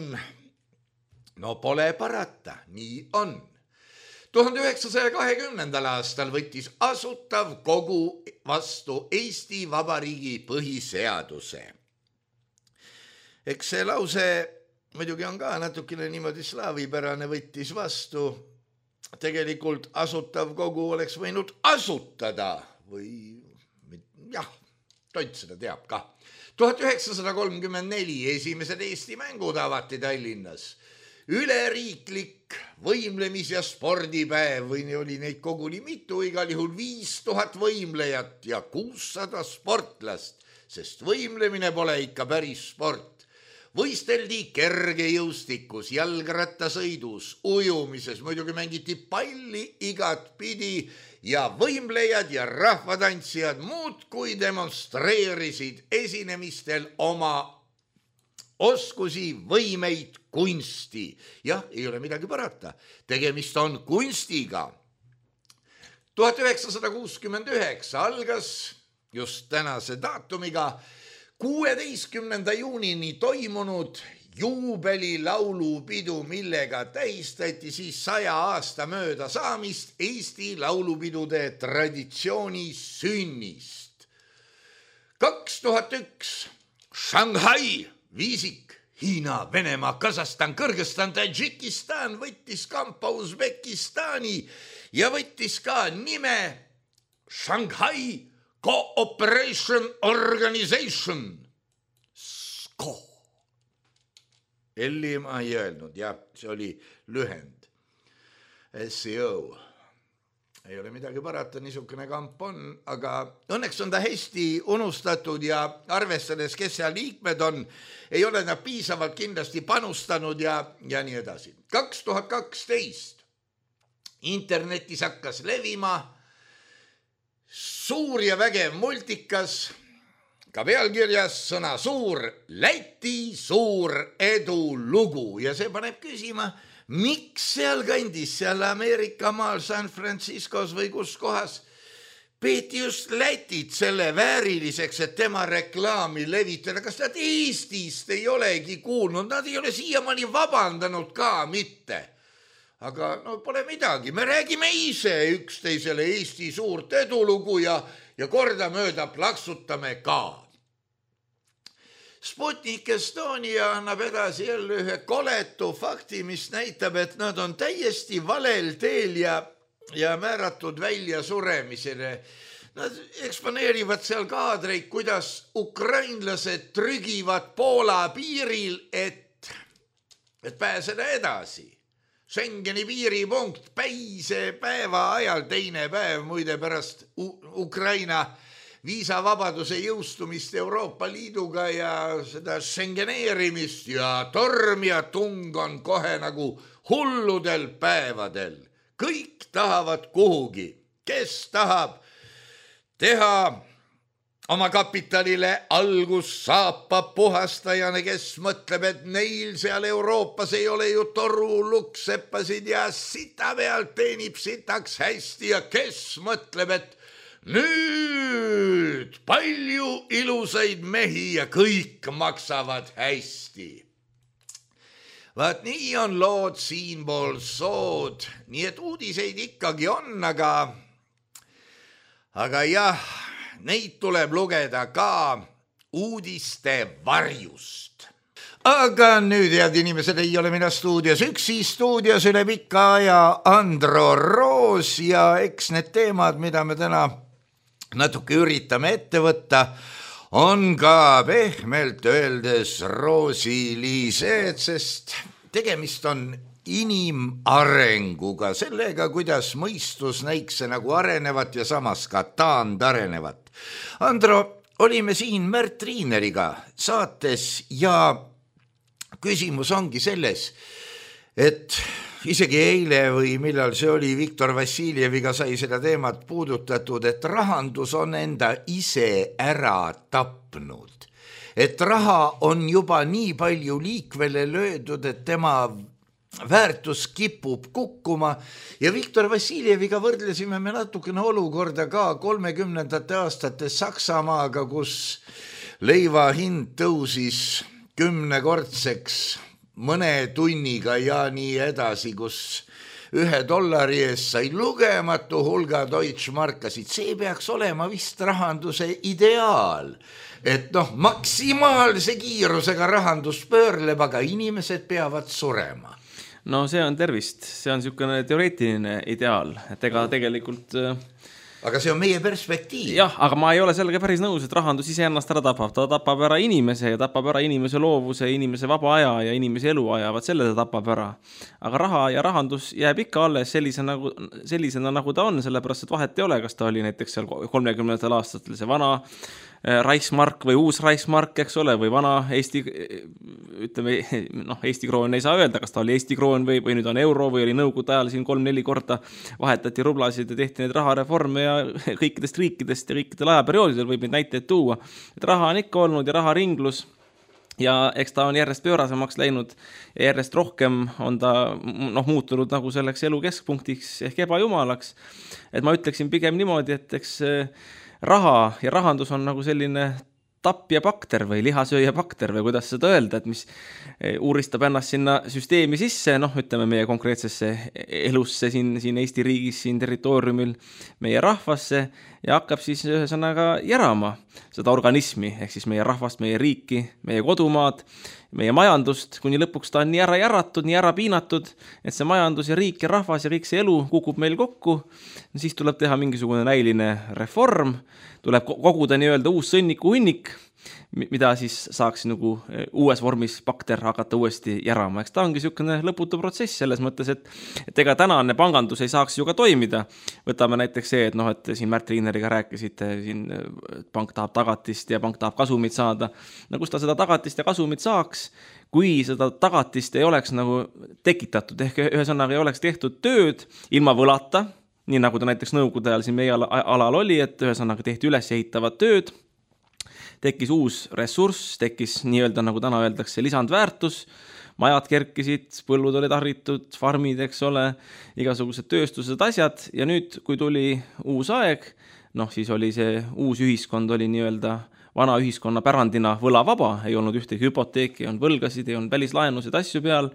no pole parata, nii on. 1920. aastal võttis Asutav Kogu vastu Eesti Vabariigi põhiseaduse. Eks see lause muidugi on ka natukene niimoodi slaavipärane, võttis vastu. Tegelikult Asutav Kogu oleks võinud asutada või jah, Tont seda teab ka. 1934 esimesed Eesti mängud avati Tallinnas. Üleriiklik võimlemis- ja spordipäev või oli neid koguni mitu, igal juhul 5000 võimlejat ja 600 sportlast, sest võimlemine pole ikka päris sport. Võisteldi kergejõustikus, jalgrattasõidus, ujumises, muidugi mängiti palli igat pidi ja võimlejad ja rahvatantsijad muudkui demonstreerisid esinemistel oma oskusi, võimeid, kunsti. Jah, ei ole midagi parata. Tegemist on kunstiga. 1969 algas just tänase daatumiga 16. juunini toimunud juubelilaulupidu, millega tähistati siis 100 aasta mööda saamist Eesti laulupidude traditsiooni sünnist. 2001 Shanghai viisik, Hiina, Venemaa, Kasahstan, Kõrgõzstan, Tadžikistan võttis kampa Usbekistani ja võttis ka nime Shanghai Cooperation Organization. SCO. Elli ma ei öelnud, jah, see oli lühend. SCO. Ei ole midagi parata, niisugune kamp on, aga õnneks on ta hästi unustatud ja arvestades, kes seal liikmed on, ei ole nad piisavalt kindlasti panustanud ja nii edasi. 2012 internetis hakkas levima suur ja vägev multikas, ka pealkirjas sõna suur, Läti suur edulugu ja see paneb küsima, miks seal kandis, seal Ameerika maal, San Franciscos või kus kohas peeti just Lätit selle vääriliseks, et tema reklaami levitada. Kas nad Eestist ei olegi kuulnud? Nad ei ole siiamaani vabandanud ka mitte. Aga no pole midagi, me räägime ise üksteisele Eesti suurt edulugu ja kordamööda plaksutame ka. Sputnik Estonia annab edasi jälle ühe koletu fakti, mis näitab, et nad on täiesti valel teel ja määratud välja suremisele. Nad eksponeerivad seal kaadreid, kuidas ukrainlased trügivad Poola piiril, et pääseda edasi. Schengeni piiripunkt päise päeva ajal, teine päev muide pärast Ukraina viisavabaduse jõustumist Euroopa Liiduga ja seda Schengeneerimist ja torm ja tung on kohe nagu hulludel päevadel. Kõik tahavad kuhugi, kes tahab teha oma kapitalile algus saapab puhastajana, kes mõtleb, et neil seal Euroopas ei ole ju toru lukseppasid ja sita pealt teenib sitaks hästi ja kes mõtleb, et nüüd palju ilusaid mehi ja kõik maksavad hästi. Vaat nii on lood siinpool sood, nii et uudiseid ikkagi on, aga jah, neid tuleb lugeda ka uudiste varjust. Aga nüüd, head inimesed, ei ole mina stuudios üksi, stuudios üle pika aja Andro Roos ja eks need teemad, mida me täna natuke üritame ette võtta, on ka pehmelt öeldes roosilised, sest tegemist on inimarenguga, sellega, kuidas mõistus näikse nagu arenevat ja samas ka taandarenevat. Andro, olime siin Märt Riineriga saates ja küsimus ongi selles, et isegi eile või millal see oli, Viktor Vassiljeviga sai seda teemat puudutatud, et rahandus on enda ise ära tapnud. Et raha on juba nii palju liikvele löödud, et tema väärtus kipub kukkuma ja Viktor Vassiljeviga võrdlesime me natukene olukorda ka 30. aastate Saksamaaga, kus leiva hind tõusis 10-kordseks mõne tunniga ja nii edasi, kus $1 eest sai lugematu hulga Deutschmarkasid. See peaks olema vist rahanduse ideaal, et maksimaalse kiirusega rahandus pöörleb, aga inimesed peavad surema. No see on tervist, see on niisugune teoreetiline ideaal, et ega tegelikult aga see on meie perspektiiv. Jah, aga ma ei ole sellega päris nõus, et rahandus ise ennast ära tapab. Ta tapab ära inimese ja tapab ära inimese loovuse, inimese vaba aja ja inimese eluaja. Vaat selle ta tapab ära. Aga raha ja rahandus jääb ikka alles sellisena nagu ta on, sellepärast et vahet ei ole, kas ta oli näiteks seal 30. aastatel see vana Reichsmark või uus Reichsmark, eks ole, või vana Eesti, ütleme, Eesti kroon ei saa öelda, kas ta oli Eesti kroon või nüüd on euro või oli nõukogude ajal siin 3-4 korda vahetati rublasid ja tehti neid rahareforme ja kõikidest riikidest ja kõikidel ajaperioodidel võib neid näiteid tuua. Et raha on ikka olnud ja raharinglus ja eks ta on järjest pöörasemaks läinud ja järjest rohkem on ta muutunud nagu selleks elu keskpunktiks ehk ebajumalaks. Et ma ütleksin pigem niimoodi, et eks raha ja rahandus on nagu selline tapja bakter või lihasööja bakter või kuidas seda öelda, et mis uuristab ennast sinna süsteemi sisse, ütleme meie konkreetsesse elusse siin Eesti riigis, siin territooriumil, meie rahvasse ja hakkab siis ühesõnaga järama seda organismi, ehk siis meie rahvast, meie riiki, meie kodumaad, meie majandust, kuni lõpuks ta on nii ära järatud, nii ära piinatud, et see majandus ja riik ja rahvas ja kõik see elu kukub meil kokku, siis tuleb teha mingisugune näiline reform, tuleb koguda nii-öelda uus sõnniku hunnik, mida siis saaks nagu uues vormis bakter hakata uuesti järama. Eks ta ongi niisugune lõputu protsess selles mõttes, et ega tänane pangandus ei saaks ju ka toimida. Võtame näiteks see, et siin Märt Riineriga rääkisite, siin pank tahab tagatist ja pank tahab kasumit saada. Kus ta seda tagatist ja kasumit saaks, kui seda tagatist ei oleks nagu tekitatud, ehk ühesõnaga ei oleks tehtud tööd ilma võlata, nii nagu ta näiteks nõukogude ajal siin meie alal oli, et ühesõnaga tehti üles ehitavad tööd, tekkis uus ressurss, tekkis nii-öelda, nagu täna öeldakse, lisandväärtus, majad kerkisid, põllud olid harritud, farmid, eks ole, igasugused tööstused, asjad, ja nüüd, kui tuli uus aeg, siis oli see uus ühiskond oli nii-öelda vana ühiskonna pärandina võlavaba, ei olnud ühtegi hüpoteeki, ei olnud võlgasid, ei olnud välislaenusid, asju peal.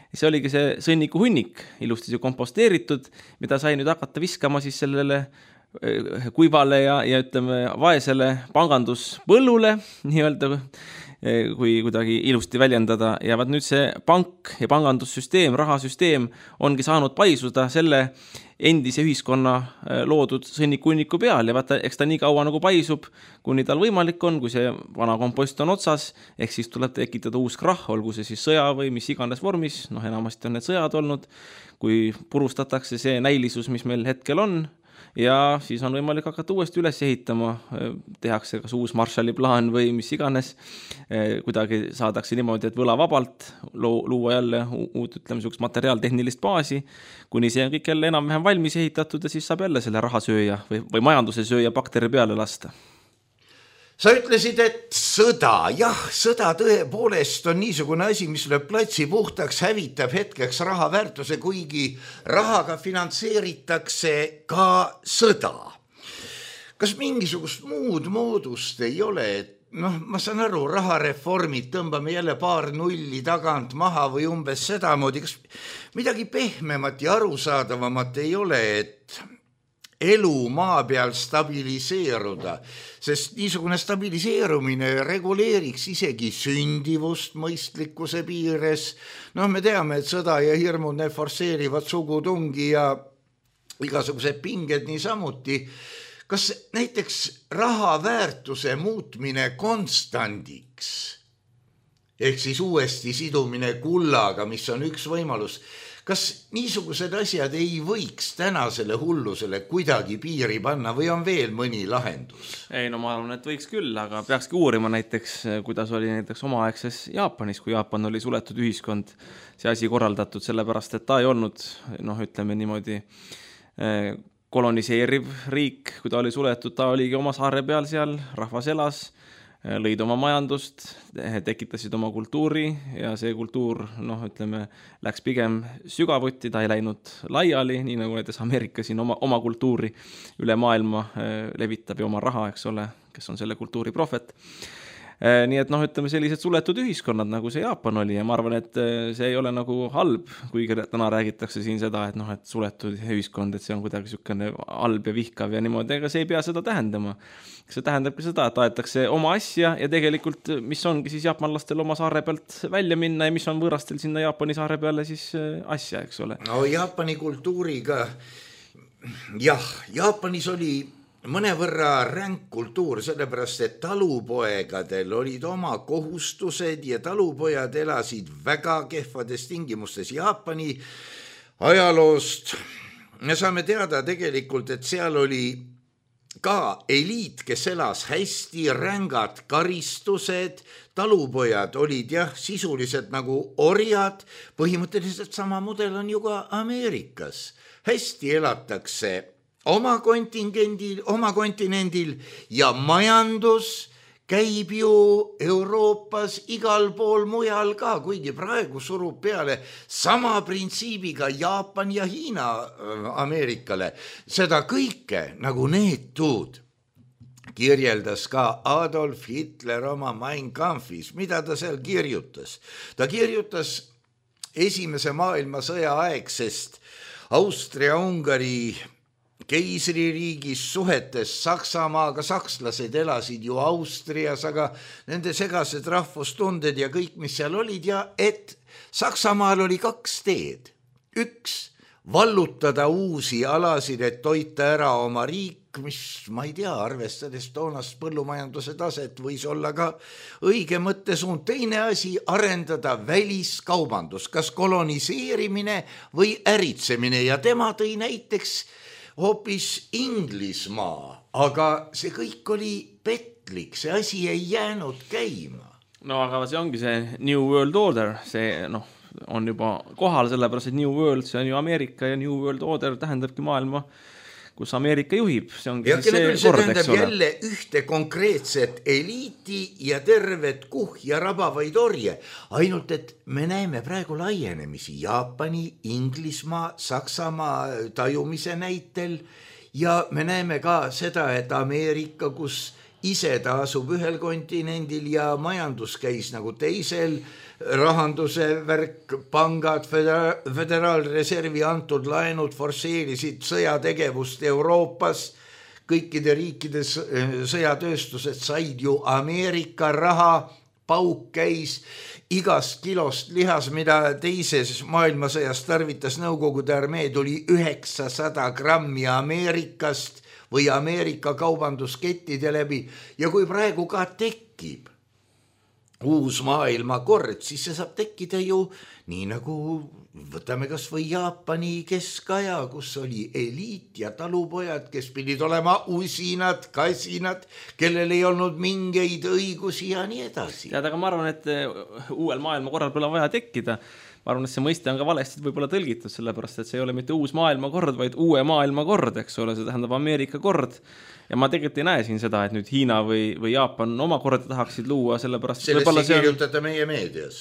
See oligi see sõnniku hunnik, ilusti komposteeritud, mida sai nüüd hakata viskama siis sellele kuivale ja ütleme vaesele panganduspõllule, nii-öelda, kui kuidagi ilusti väljendada. Ja vaat nüüd see pank ja pangandussüsteem, rahasüsteem ongi saanud paisuda selle endise ühiskonna loodud sõnniku-hunniku peal ja vaata, eks ta nii kaua nagu paisub, kuni tal võimalik on, kui see vana kompost on otsas, ehk siis tuleb tekitada uus krahh, olgu see siis sõja või mis iganes vormis, enamasti on need sõjad olnud, kui purustatakse see näilisus, mis meil hetkel on, ja siis on võimalik hakata uuesti üles ehitama, tehakse kas uus Marshalli plaan või mis iganes, kuidagi saadakse niimoodi, et võlavabalt luua jälle uut, ütleme, niisugust materiaaltehnilist baasi, kuni see on kõik jälle enam-vähem valmis ehitatud ja siis saab jälle selle rahasööja või majanduse sööja bakteri peale lasta. Sa ütlesid, et sõda, sõda tõepoolest on niisugune asi, mis lööb platsi puhtaks, hävitab hetkeks raha väärtuse, kuigi rahaga finantseeritakse ka sõda. Kas mingisugust muud moodust ei ole, et ma saan aru, rahareformid, tõmbame jälle paar nulli tagant maha või umbes sedamoodi, kas midagi pehmemat ja arusaadavamat ei ole, et elu maa peal stabiliseeruda, sest niisugune stabiliseerumine reguleeriks isegi sündivust mõistlikkuse piires. Me teame, et sõda ja hirmud need forsseerivad sugutungi ja igasugused pinged niisamuti. Kas näiteks raha väärtuse muutmine konstandiks, ehk siis uuesti sidumine kullaga, mis on üks võimalus, kas niisugused asjad ei võiks tänasele hullusele kuidagi piiri panna või on veel mõni lahendus? Ei, ma arvan, et võiks küll, aga peakski uurima näiteks, kuidas oli näiteks omaaegses Jaapanis, kui Jaapan oli suletud ühiskond, see asi korraldatud, sellepärast, et ta ei olnud, ütleme niimoodi, koloniseeriv riik, kui ta oli suletud, ta oligi oma saare peal seal, rahvas elas, lõid oma majandust, tekitasid oma kultuuri ja see kultuur, ütleme, läks pigem sügavuti, ta ei läinud laiali, nii nagu näiteks Ameerika siin oma kultuuri üle maailma levitab ja oma raha, eks ole, kes on selle kultuuri prohvet. Nii et ütleme sellised suletud ühiskonnad, nagu see Jaapan oli ja ma arvan, et see ei ole nagu halb, kuigi täna räägitakse siin seda, et suletud ühiskond, et see on kuidagi niisugune halb ja vihkav ja niimoodi, ega see ei pea seda tähendama. See tähendabki seda, et aetakse oma asja ja tegelikult, mis ongi siis jaapanlastel oma saare pealt välja minna ja mis on võõrastel sinna Jaapani saare peale siis asja, eks ole. No Jaapani kultuuriga jah, Jaapanis oli mõnevõrra ränk kultuur, sellepärast et talupoegadel olid oma kohustused ja talupojad elasid väga kehvades tingimustes. Jaapani ajaloost me saame teada tegelikult, et seal oli ka eliit, kes elas hästi, rängad karistused, talupojad olid jah, sisuliselt nagu orjad, põhimõtteliselt sama mudel on ju ka Ameerikas. Hästi elatakse oma kontinendil ja majandus käib ju Euroopas igal pool mujal ka, kuigi praegu surub peale sama printsiibiga Jaapan ja Hiina Ameerikale. Seda kõike nagu neetud kirjeldas ka Adolf Hitler oma Mein Kampfis. Mida ta seal kirjutas? Ta kirjutas Esimese maailmasõja aegsest Austria-Ungari keisririigis suhetes Saksamaaga. Sakslased elasid ju Austrias, aga nende segased rahvustunded ja kõik, mis seal olid, ja et Saksamaal oli 2 teed. Üks, vallutada uusi alasid, et toita ära oma riik, mis, ma ei tea, arvestades toonast põllumajanduse taset, võis olla ka õige mõttesuund. Teine asi, arendada väliskaubandus, kas koloniseerimine või äritsemine, ja tema tõi näiteks hoopis Inglismaa, aga see kõik oli petlik, see asi ei jäänud käima. No aga see ongi see New World Order, see on juba kohal, sellepärast et New World, see on ju Ameerika ja New World Order tähendabki maailma, kus Ameerika juhib. See ongi ja see kord, tähendab jälle ühte konkreetset eliiti ja tervet ja rabavaid orje. Ainult, et me näeme praegu laienemisi Jaapani, Inglismaa, Saksamaa tajumise näitel ja me näeme ka seda, et Ameerika, kus ise ta asub ühel kontinendil ja majandus käis nagu teisel, rahanduse värk, pangad, föderaalreservi antud laenud forsseerisid sõjategevust Euroopas, kõikide riikide sõjatööstused said ju Ameerika raha, pauk käis igast kilost lihas, mida teises maailmasõjas tarvitas Nõukogude armee, tuli 900 grammi Ameerikast või Ameerika kaubanduskettide läbi, ja kui praegu ka tekib uus maailmakord, siis see saab tekkida ju nii nagu võtame kas või Jaapani keskaja, kus oli eliit ja talupojad, kes pidid olema usinad, kasinad, kellel ei olnud mingeid õigusi ja nii edasi. Tead, aga ma arvan, et uuel maailmakorral pole vaja tekkida. Ma arvan, et see mõiste on ka valesti võib-olla tõlgitud, sellepärast, et see ei ole mitte uus maailmakord, vaid uue maailmakord, eks ole, see tähendab Ameerika kord. Ja ma tegelikult ei näe siin seda, et nüüd Hiina või Jaapan oma korda tahaksid luua, sellepärast... Sellest ei kirjutada meie meedias.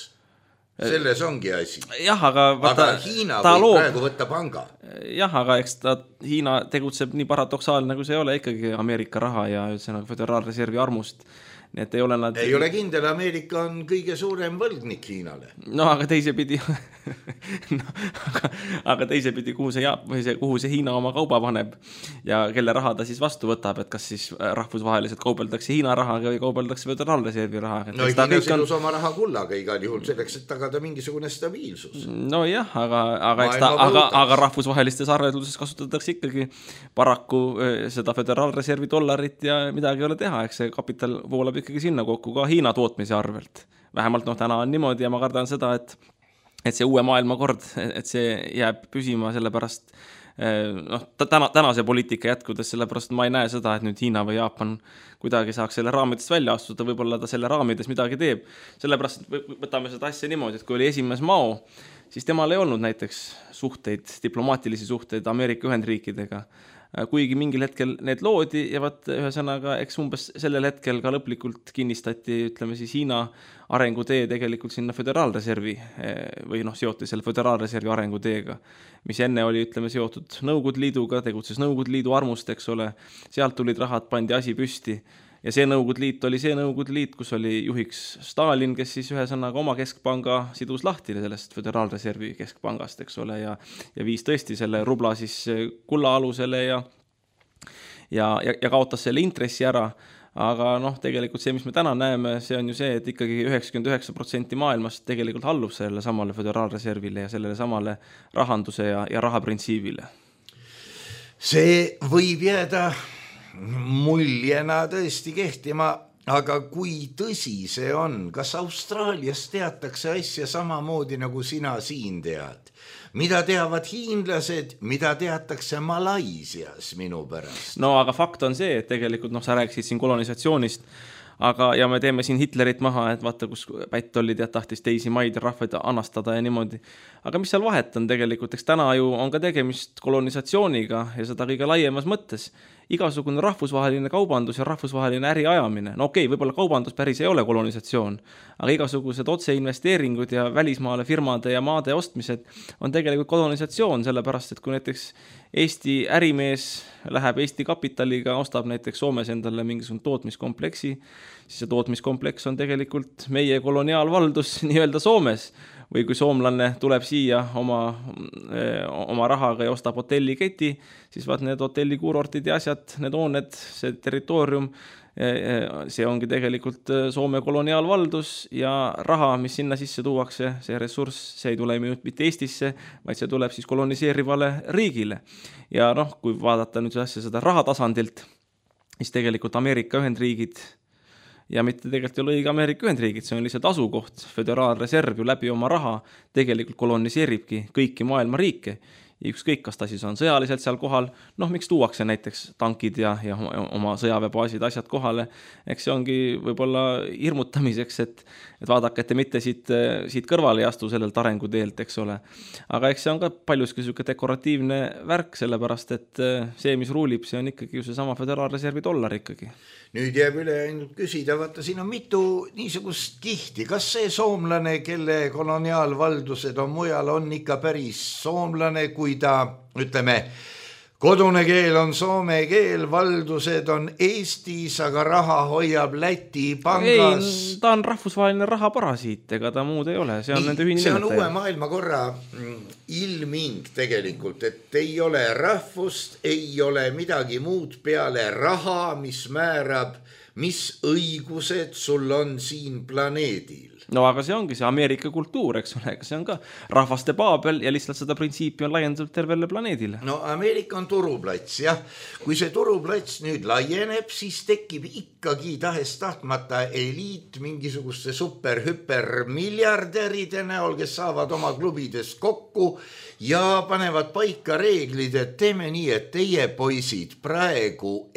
Selles ongi asi. Jah, aga Hiina võib praegu võtta panga. Jah, aga eks Hiina tegutseb nii paradoksaalne, nagu see ei ole ikkagi Ameerika raha ja üldse föderaalreservi armust. Nii et ei ole nad... Ei ole kindel, Ameerika on kõige suurem võlgnik Hiinale. No aga teisepidi aga teisepidi, kuhu see Hiina oma kauba paneb ja kelle raha ta siis vastu võtab, et kas siis rahvusvaheliselt kaubeldakse Hiina rahaga või kaubeldakse föderaalreservi rahaga. No Hiina sidus oma raha kullaga igal juhul selleks, et tagada mingisugune stabiilsus. No jah, aga rahvusvahelistes arveldluses kasutatakse ikkagi paraku seda föderaalreservi dollarit ja midagi ei ole teha, eks see kapital voolab ikkagi sinna kokku ka Hiina tootmise arvelt. Vähemalt täna on niimoodi ja ma kardan seda, et see uue maailmakord, et see jääb püsima sellepärast, tänase poliitika jätkudes, sellepärast ma ei näe seda, et nüüd Hiina või Jaapan kuidagi saaks selle raamidest välja astuda, võib-olla ta selle raamides midagi teeb. Sellepärast võtame seda asja niimoodi, et kui oli esimees Mao, siis temal ei olnud näiteks diplomaatilisi suhteid Ameerika Ühendriikidega. Kuigi mingil hetkel need loodi ja ühesõnaga, eks umbes sellel hetkel ka lõplikult kinnistati, ütleme siis Hiina arengutee tegelikult sinna föderaalreservi või seoti selle föderaalreservi arenguteega, mis enne oli, ütleme, seotud Nõukogude Liiduga, tegutses Nõukogude Liidu armust, eks ole, sealt tulid rahad, pandi asi püsti ja see Nõukogude Liit oli see Nõukogude Liit, kus oli juhiks Stalin, kes siis ühesõnaga oma keskpanga sidus lahti sellest föderaalreservi keskpangast, eks ole, ja viis tõesti selle rubla siis kulla alusele ja kaotas selle intressi ära. Aga tegelikult see, mis me täna näeme, see on ju see, et ikkagi 99% maailmast tegelikult allub sellele samale föderaalreservile ja sellele samale rahanduse ja rahaprintsiibile. see võib jääda muljena tõesti kehtima, aga kui tõsi see on, kas Austraalias teatakse asja samamoodi nagu sina siin tead? Mida teavad hiinlased, mida teatakse Malaisias minu pärast? No aga fakt on see, et tegelikult sa rääkisid siin kolonisatsioonist, ja me teeme siin Hitlerit maha, et vaata, kus pätt oli tahtis teisi maid ja rahvaid anastada ja niimoodi. Aga mis seal vahet on tegelikult? Eks täna ju on ka tegemist kolonisatsiooniga ja seda kõige laiemas mõttes. Igasugune rahvusvaheline kaubandus ja rahvusvaheline äriajamine. No okei, võib-olla kaubandus päris ei ole kolonisatsioon, aga igasugused otseinvesteeringud ja välismaale firmade ja maade ostmised on tegelikult kolonisatsioon, sellepärast, et kui näiteks Eesti ärimees läheb Eesti kapitaliga, ostab näiteks Soomes endale mingisugune tootmiskompleksi, siis see tootmiskompleks on tegelikult meie koloniaalvaldus nii-öelda Soomes. Või kui soomlane tuleb siia oma rahaga ja ostab hotelliketi, siis vaat need hotellikuurortid ja asjad, need hooned, see territoorium, see ongi tegelikult Soome koloniaalvaldus ja raha, mis sinna sisse tuuakse, see ressurss, see ei tule mitte Eestisse, vaid see tuleb siis koloniseerivale riigile. Ja kui vaadata nüüd seda rahatasandilt, siis tegelikult Ameerika Ühendriigid ja mitte tegelikult ei ole õige Ameerika Ühendriigid, see on lihtsalt asukoht, föderaalreserv ju läbi oma raha tegelikult koloniseeribki kõiki maailma riike. Ja ükskõik, kas ta siis on sõjaliselt seal kohal, miks tuuakse näiteks tankid ja oma sõjaväebaasid asjad kohale, eks see ongi võib-olla hirmutamiseks, et vaadake, et te mitte siit kõrvale ei astu sellelt arenguteelt, eks ole. Aga eks see on ka paljuski selline dekoratiivne värk, sellepärast, et see, mis ruulib, see on ikkagi ju see sama föderaalreservi dollar ikkagi. Nüüd jääb üle ainult küsida, vaata, siin on mitu niisugust kihti. Kas see soomlane, kelle koloniaalvaldused on mujal, on ikka päris soomlane, kui ta, ütleme, kodune keel on soome keel, valdused on Eestis, aga raha hoiab Läti pangas. Ei, ta on rahvusvaheline rahaparasiit, ega ta muud ei ole. See on nende ühine see on uue maailmakorra ilming tegelikult, et ei ole rahvust, ei ole midagi muud peale raha, mis määrab, mis õigused sul on siin planeedil. No aga see ongi see Ameerika kultuur, eks ole, see on ka rahvaste paabel ja lihtsalt seda printsiipi on laiendatud tervele planeedile. No Ameerika on turuplats, jah. Kui see turuplats nüüd laieneb, siis tekib ikkagi tahes-tahtmata eliit mingisuguste super-hüper miljardäride näol, kes saavad oma klubidest kokku ja panevad paika reeglid, et teeme nii, et teie poisid praegu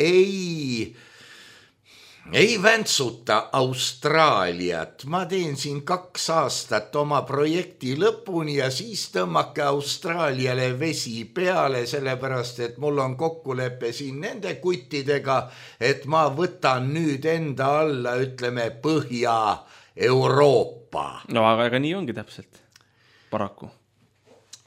ei väntsuta Austraaliat. Ma teen siin 2 aastat oma projekti lõpuni ja siis tõmmake Austraaliale vesi peale, sellepärast, et mul on kokkulepe siin nende kuttidega, et ma võtan nüüd enda alla, ütleme, Põhja-Euroopa. No aga nii ongi täpselt, paraku.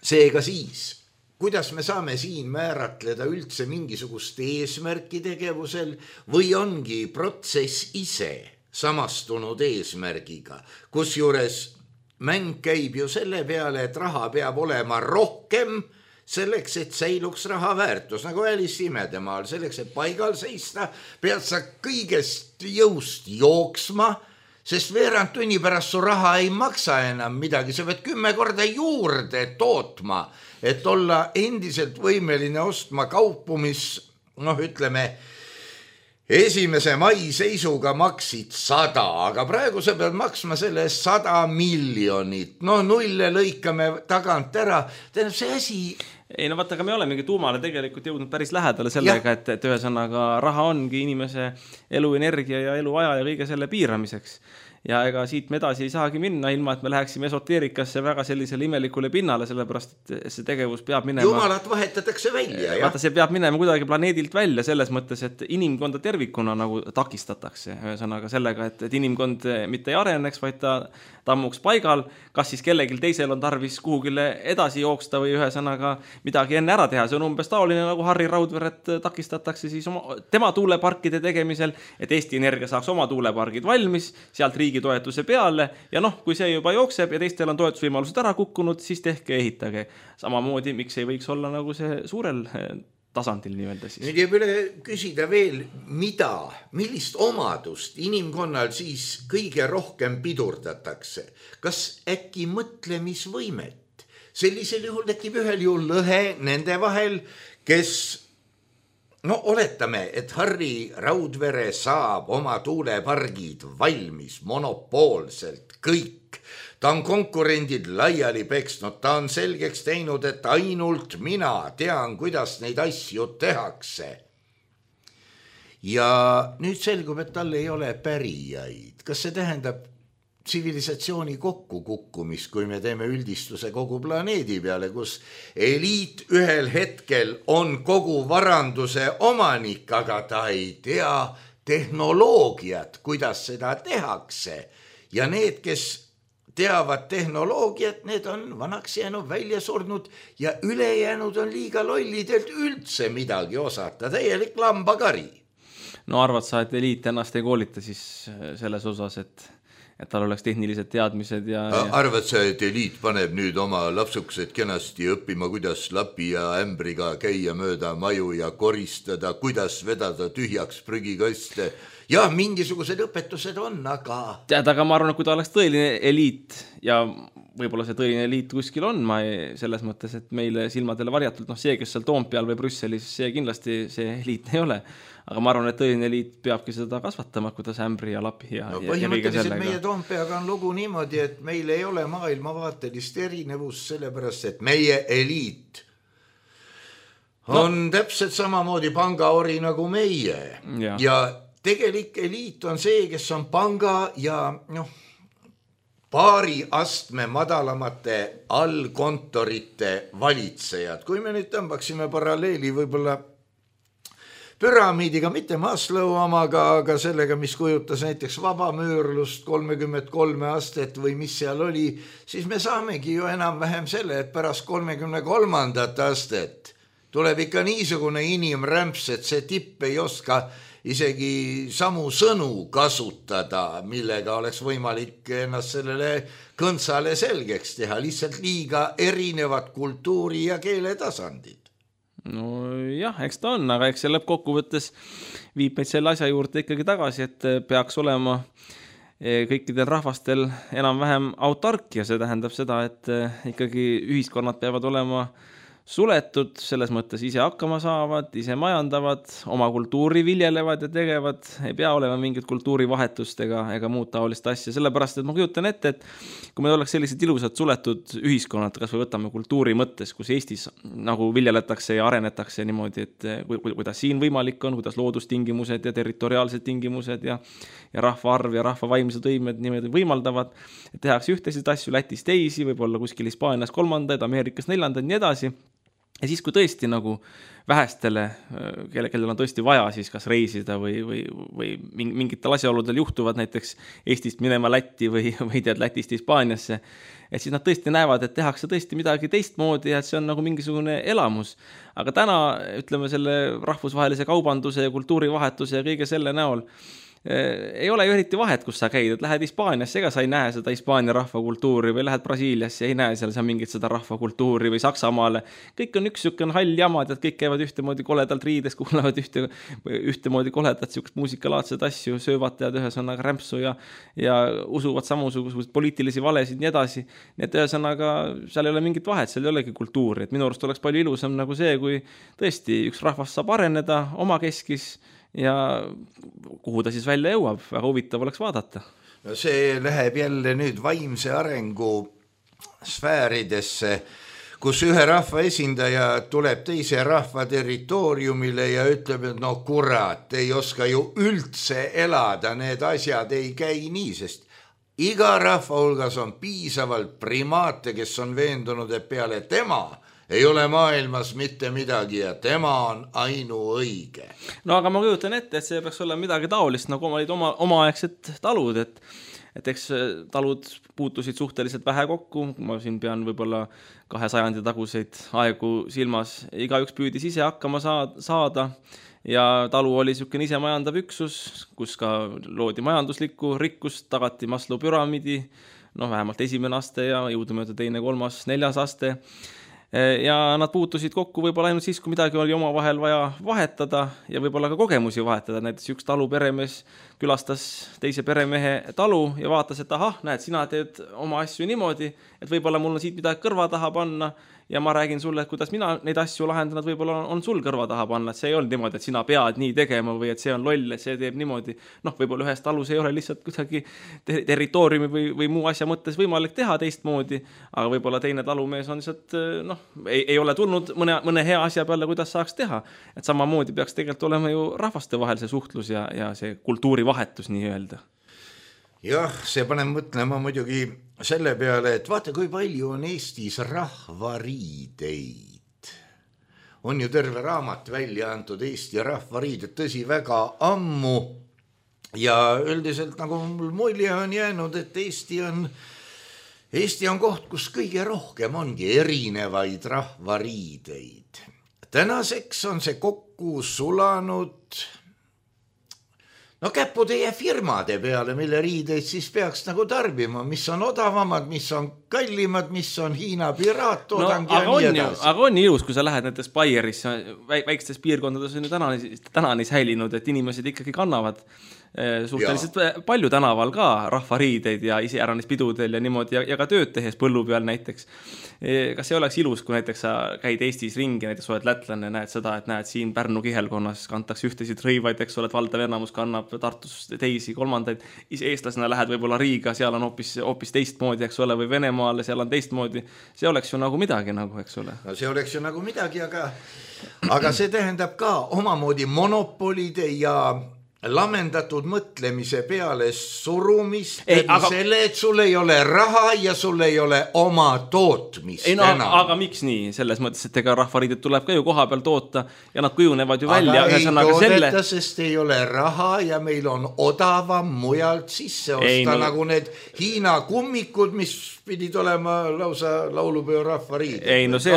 Seega siis, kuidas me saame siin määratleda üldse mingisugust eesmärki tegevusel või ongi protsess ise samastunud eesmärgiga, kusjuures mäng käib ju selle peale, et raha peab olema rohkem selleks, et säiluks raha väärtus, nagu Alice Imedemaal, selleks, et paigal seista, pead sa kõigest jõust jooksma, sest veerand tunni pärast su raha ei maksa enam midagi, sa pead 10 korda juurde tootma, et olla endiselt võimeline ostma kaupu, mis, ütleme, 1. mai seisuga maksid 100, aga praegu sa pead maksma selle 100 miljonit. Nulle lõikame tagant ära. Tähendab, see asi... Ei, vaata, aga me olemegi tuumale tegelikult jõudnud päris lähedale sellega, et ühesõnaga raha ongi inimese eluenergia ja eluaja ja kõige selle piiramiseks. Ja ega siit me edasi ei saagi minna, ilma et me läheksime esoteerikasse väga sellisele imelikule pinnale, sellepärast, et see tegevus peab minema... Jumalat vahetatakse välja, vaata, see peab minema kuidagi planeedilt välja selles mõttes, et inimkonda tervikuna nagu takistatakse. Ühesõnaga sellega, et inimkond mitte ei areneks, vaid ta tammuks paigal, kas siis kellelgi teisel on tarvis kuhugile edasi jooksta või ühesõnaga midagi enne ära teha. See on umbes taoline nagu Harri Raudveret takistatakse siis tema tuuleparkide tegemisel, et Eesti Energia saaks oma tuulepargid valmis, sealt riigi toetuse peale ja kui see juba jookseb ja teistel on toetusvõimalused ära kukkunud, siis tehke ehitage. Samamoodi, miks ei võiks olla nagu see suurel tasandil nii-öelda siis. Nüüd jääb üle küsida veel, millist omadust inimkonnal siis kõige rohkem pidurdatakse? Kas äkki mõtlemisvõimet? Sellisel juhul tekib ühel juhul lõhe nende vahel, kes no oletame, et Harri Raudvere saab oma tuulepargid valmis monopoolselt kõik. Ta on konkurendid laiali peksnud, ta on selgeks teinud, et ainult mina tean, kuidas neid asju tehakse. Ja nüüd selgub, et tal ei ole pärijaid. Kas see tähendab tsivilisatsiooni kokkukukkumist, kui me teeme üldistuse kogu planeedi peale, kus eliit ühel hetkel on kogu varanduse omanik, aga ta ei tea tehnoloogiat, kuidas seda tehakse. Ja need, kes teavad tehnoloogiat, need on vanaks jäänud, välja surnud ja ülejäänud on liiga lollidelt üldse midagi osata, täielik lambakari. No arvad sa, et eliit ennast ei koolita siis selles osas, et tal oleks tehnilised teadmised ja... Arvad sa, et eliit paneb nüüd oma lapsukesed kenasti õppima, kuidas lapi ja ämbriga käia mööda maju ja koristada, kuidas vedada tühjaks prügikaste? Jah, mingisugused õpetused on, aga... Tead, aga ma arvan, et kui ta oleks tõeline eliit ja võib-olla see tõeline eliit kuskil on, selles mõttes, et meile silmadele varjatult, see, kes seal Toompeal või Brüsselis, see kindlasti see eliit ei ole. Aga ma arvan, et tõeline eliit peabki seda kasvatama, kuidas ämbri ja lapi ja põhimõtteliselt meie Toompeaga on lugu niimoodi, et meil ei ole maailmavaatelist erinevust, sellepärast, et meie eliit on täpselt samamoodi pangaori nagu meie. Ja tegelik eliit on see, kes on panga ja paari astme madalamate allkontorite valitsejad. Kui me nüüd tõmbaksime paralleeli võib-olla püramiidiga, mitte Maslow omaga, aga sellega, mis kujutas näiteks vabamüürlust 33 astet või mis seal oli, siis me saamegi ju enam-vähem selle, et pärast 33. astet tuleb ikka niisugune inimrämps, et see tipp ei oska isegi samu sõnu kasutada, millega oleks võimalik ennast sellele kõntsale selgeks teha, lihtsalt liiga erinevad kultuuri ja keele tasandid. No jah, eks ta on, aga eks see lõppkokkuvõttes viib meid selle asja juurde ikkagi tagasi, et peaks olema kõikidel rahvastel enam-vähem autarkia, see tähendab seda, et ikkagi ühiskonnad peavad olema suletud, selles mõttes ise hakkama saavad, ise majandavad, oma kultuuri viljelevad ja tegevad, ei pea olema mingit kultuurivahetust ega muud taolist asja, sellepärast, et ma kujutan ette, et kui meil oleks sellised ilusad suletud ühiskonnad, kas või võtame kultuuri mõttes, kus Eestis nagu viljeletakse ja arenetakse niimoodi, et kuidas siin võimalik on, kuidas loodustingimused ja territoriaalsed tingimused ja rahvaarv ja rahva vaimsed võimed niimoodi võimaldavad, et tehakse ühtesid asju, Lätis teisi, võib-olla kuskil Hispaanias kolmandaid, Ameerikas neljandaid, nii edasi. Ja siis, kui tõesti nagu vähestele, kellel on tõesti vaja siis kas reisida või mingitel asjaoludel juhtuvad näiteks Eestist minema Lätti või tead Lätist Hispaaniasse, et siis nad tõesti näevad, et tehakse tõesti midagi teistmoodi ja et see on nagu mingisugune elamus. Aga täna, ütleme, selle rahvusvahelise kaubanduse ja kultuurivahetuse ja kõige selle näol ei ole ju eriti vahet, kus sa käid, et lähed Hispaaniasse, ega sa ei näe seda Hispaania rahvakultuuri või lähed Brasiiliasse, ei näe seal mingit seda rahvakultuuri või Saksamaale. Kõik on üks sükene hall jamad, et kõik käivad ühtemoodi koledalt riides, kuulavad ühtemoodi koledat sükest muusikalaadsed asju, söövad tead ühesõnaga rämpsu ja usuvad samusugused poliitilisi valesid nii edasi. Nii et ühesõnaga seal ei ole mingit vahet, seal ei olegi kultuuri. Et minu arust oleks palju ilusam nagu see, kui tõesti üks rahvas saab areneda oma keskis ja kuhu ta siis välja jõuab, väga huvitav oleks vaadata. No see läheb jälle nüüd vaimse arengu sfääridesse, kus ühe rahva esindaja tuleb teise rahva territooriumile ja ütleb, et no kurat, ei oska ju üldse elada, need asjad ei käi nii, sest iga rahva hulgas on piisavalt primaate, kes on veendunud, et peale tema ei ole maailmas mitte midagi ja tema on ainuõige. No aga ma kujutan ette, et see peaks olema midagi taolist, nagu olid omaaegsed talud, et eks talud puutusid suhteliselt vähe kokku, ma siin pean võib-olla 200 taguseid aegu silmas, igaüks püüdis ise hakkama saada ja talu oli niisugune ise majandav üksus, kus ka loodi majanduslikku rikkust, tagati Maslow püramiidi, vähemalt esimene aste ja jõudumööda teine, kolmas, neljas aste. Ja nad puutusid kokku võib-olla ainult siis, kui midagi oli omavahel vaja vahetada ja võib-olla ka kogemusi vahetada. Näiteks üks talu peremees külastas teise peremehe talu ja vaatas, et ahah, näed, sina teed oma asju niimoodi, et võib-olla mul on siit midagi kõrva taha panna ja ma räägin sulle, et kuidas mina neid asju lahendan, et võib-olla on sul kõrva taha panna, et see ei olnud niimoodi, et sina pead nii tegema või et see on loll, et see teeb niimoodi. Noh, võib-olla ühes talus ei ole lihtsalt kuidagi territooriumi või muu asja mõttes võimalik teha teistmoodi, aga võib-olla teine talumees on lihtsalt, ei ole tulnud mõne hea asja peale, kuidas saaks teha. Et samamoodi peaks tegelikult olema ju rahvaste vahel see suhtlus ja see kultuurivahetus nii öelda. Jah, see paneb mõtlema muidugi selle peale, et vaata, kui palju on Eestis rahvariideid. On ju terve raamat välja antud Eesti rahvariided, tõsi väga ammu. Ja üldiselt nagu mul mulje on jäänud, et Eesti on koht, kus kõige rohkem ongi erinevaid rahvariideid. Tänaseks on see kokku sulanud käpu teie firmade peale, mille riideid siis peaks nagu tarbima, mis on odavamad, mis on kallimad, mis on Hiina piraattoodang ja nii edasi. Aga on ilus, kui sa lähed näiteks Bayerisse, väikstes piirkondades on ju tänani säilinud, et inimesed ikkagi kannavad suhteliselt palju tänaval ka rahvariideid ja iseäranis pidudel ja niimoodi ja ka tööd tehes põllu peal näiteks. Kas see oleks ilus, kui näiteks sa käid Eestis ringi, näiteks oled lätlane, näed seda, et näed siin Pärnu kihelkonnas kantakse ühtesid rõivaid, eks oled valdav enamus kannab Tartus teisi, kolmandaid. Eestlasena lähed võib-olla Riiga, seal on hoopis teistmoodi, eks ole, või Venemaale, seal on teistmoodi. See oleks ju nagu midagi, eks ole. No see oleks ju nagu midagi, aga see tähendab ka omamoodi monopolide ja lamendatud mõtlemise peale surumist selle, et sul ei ole raha ja sul ei ole oma tootmist enam. Aga miks nii? Selles mõttes, et ega rahvariided tuleb ka ju koha peal toota ja nad kujunevad ju välja. Aga ei toodeta, sest ei ole raha ja meil on odavam mujalt sisse osta, nagu need Hiina kummikud, mis pidid olema lausa laulupeo rahvariid. Ei, no see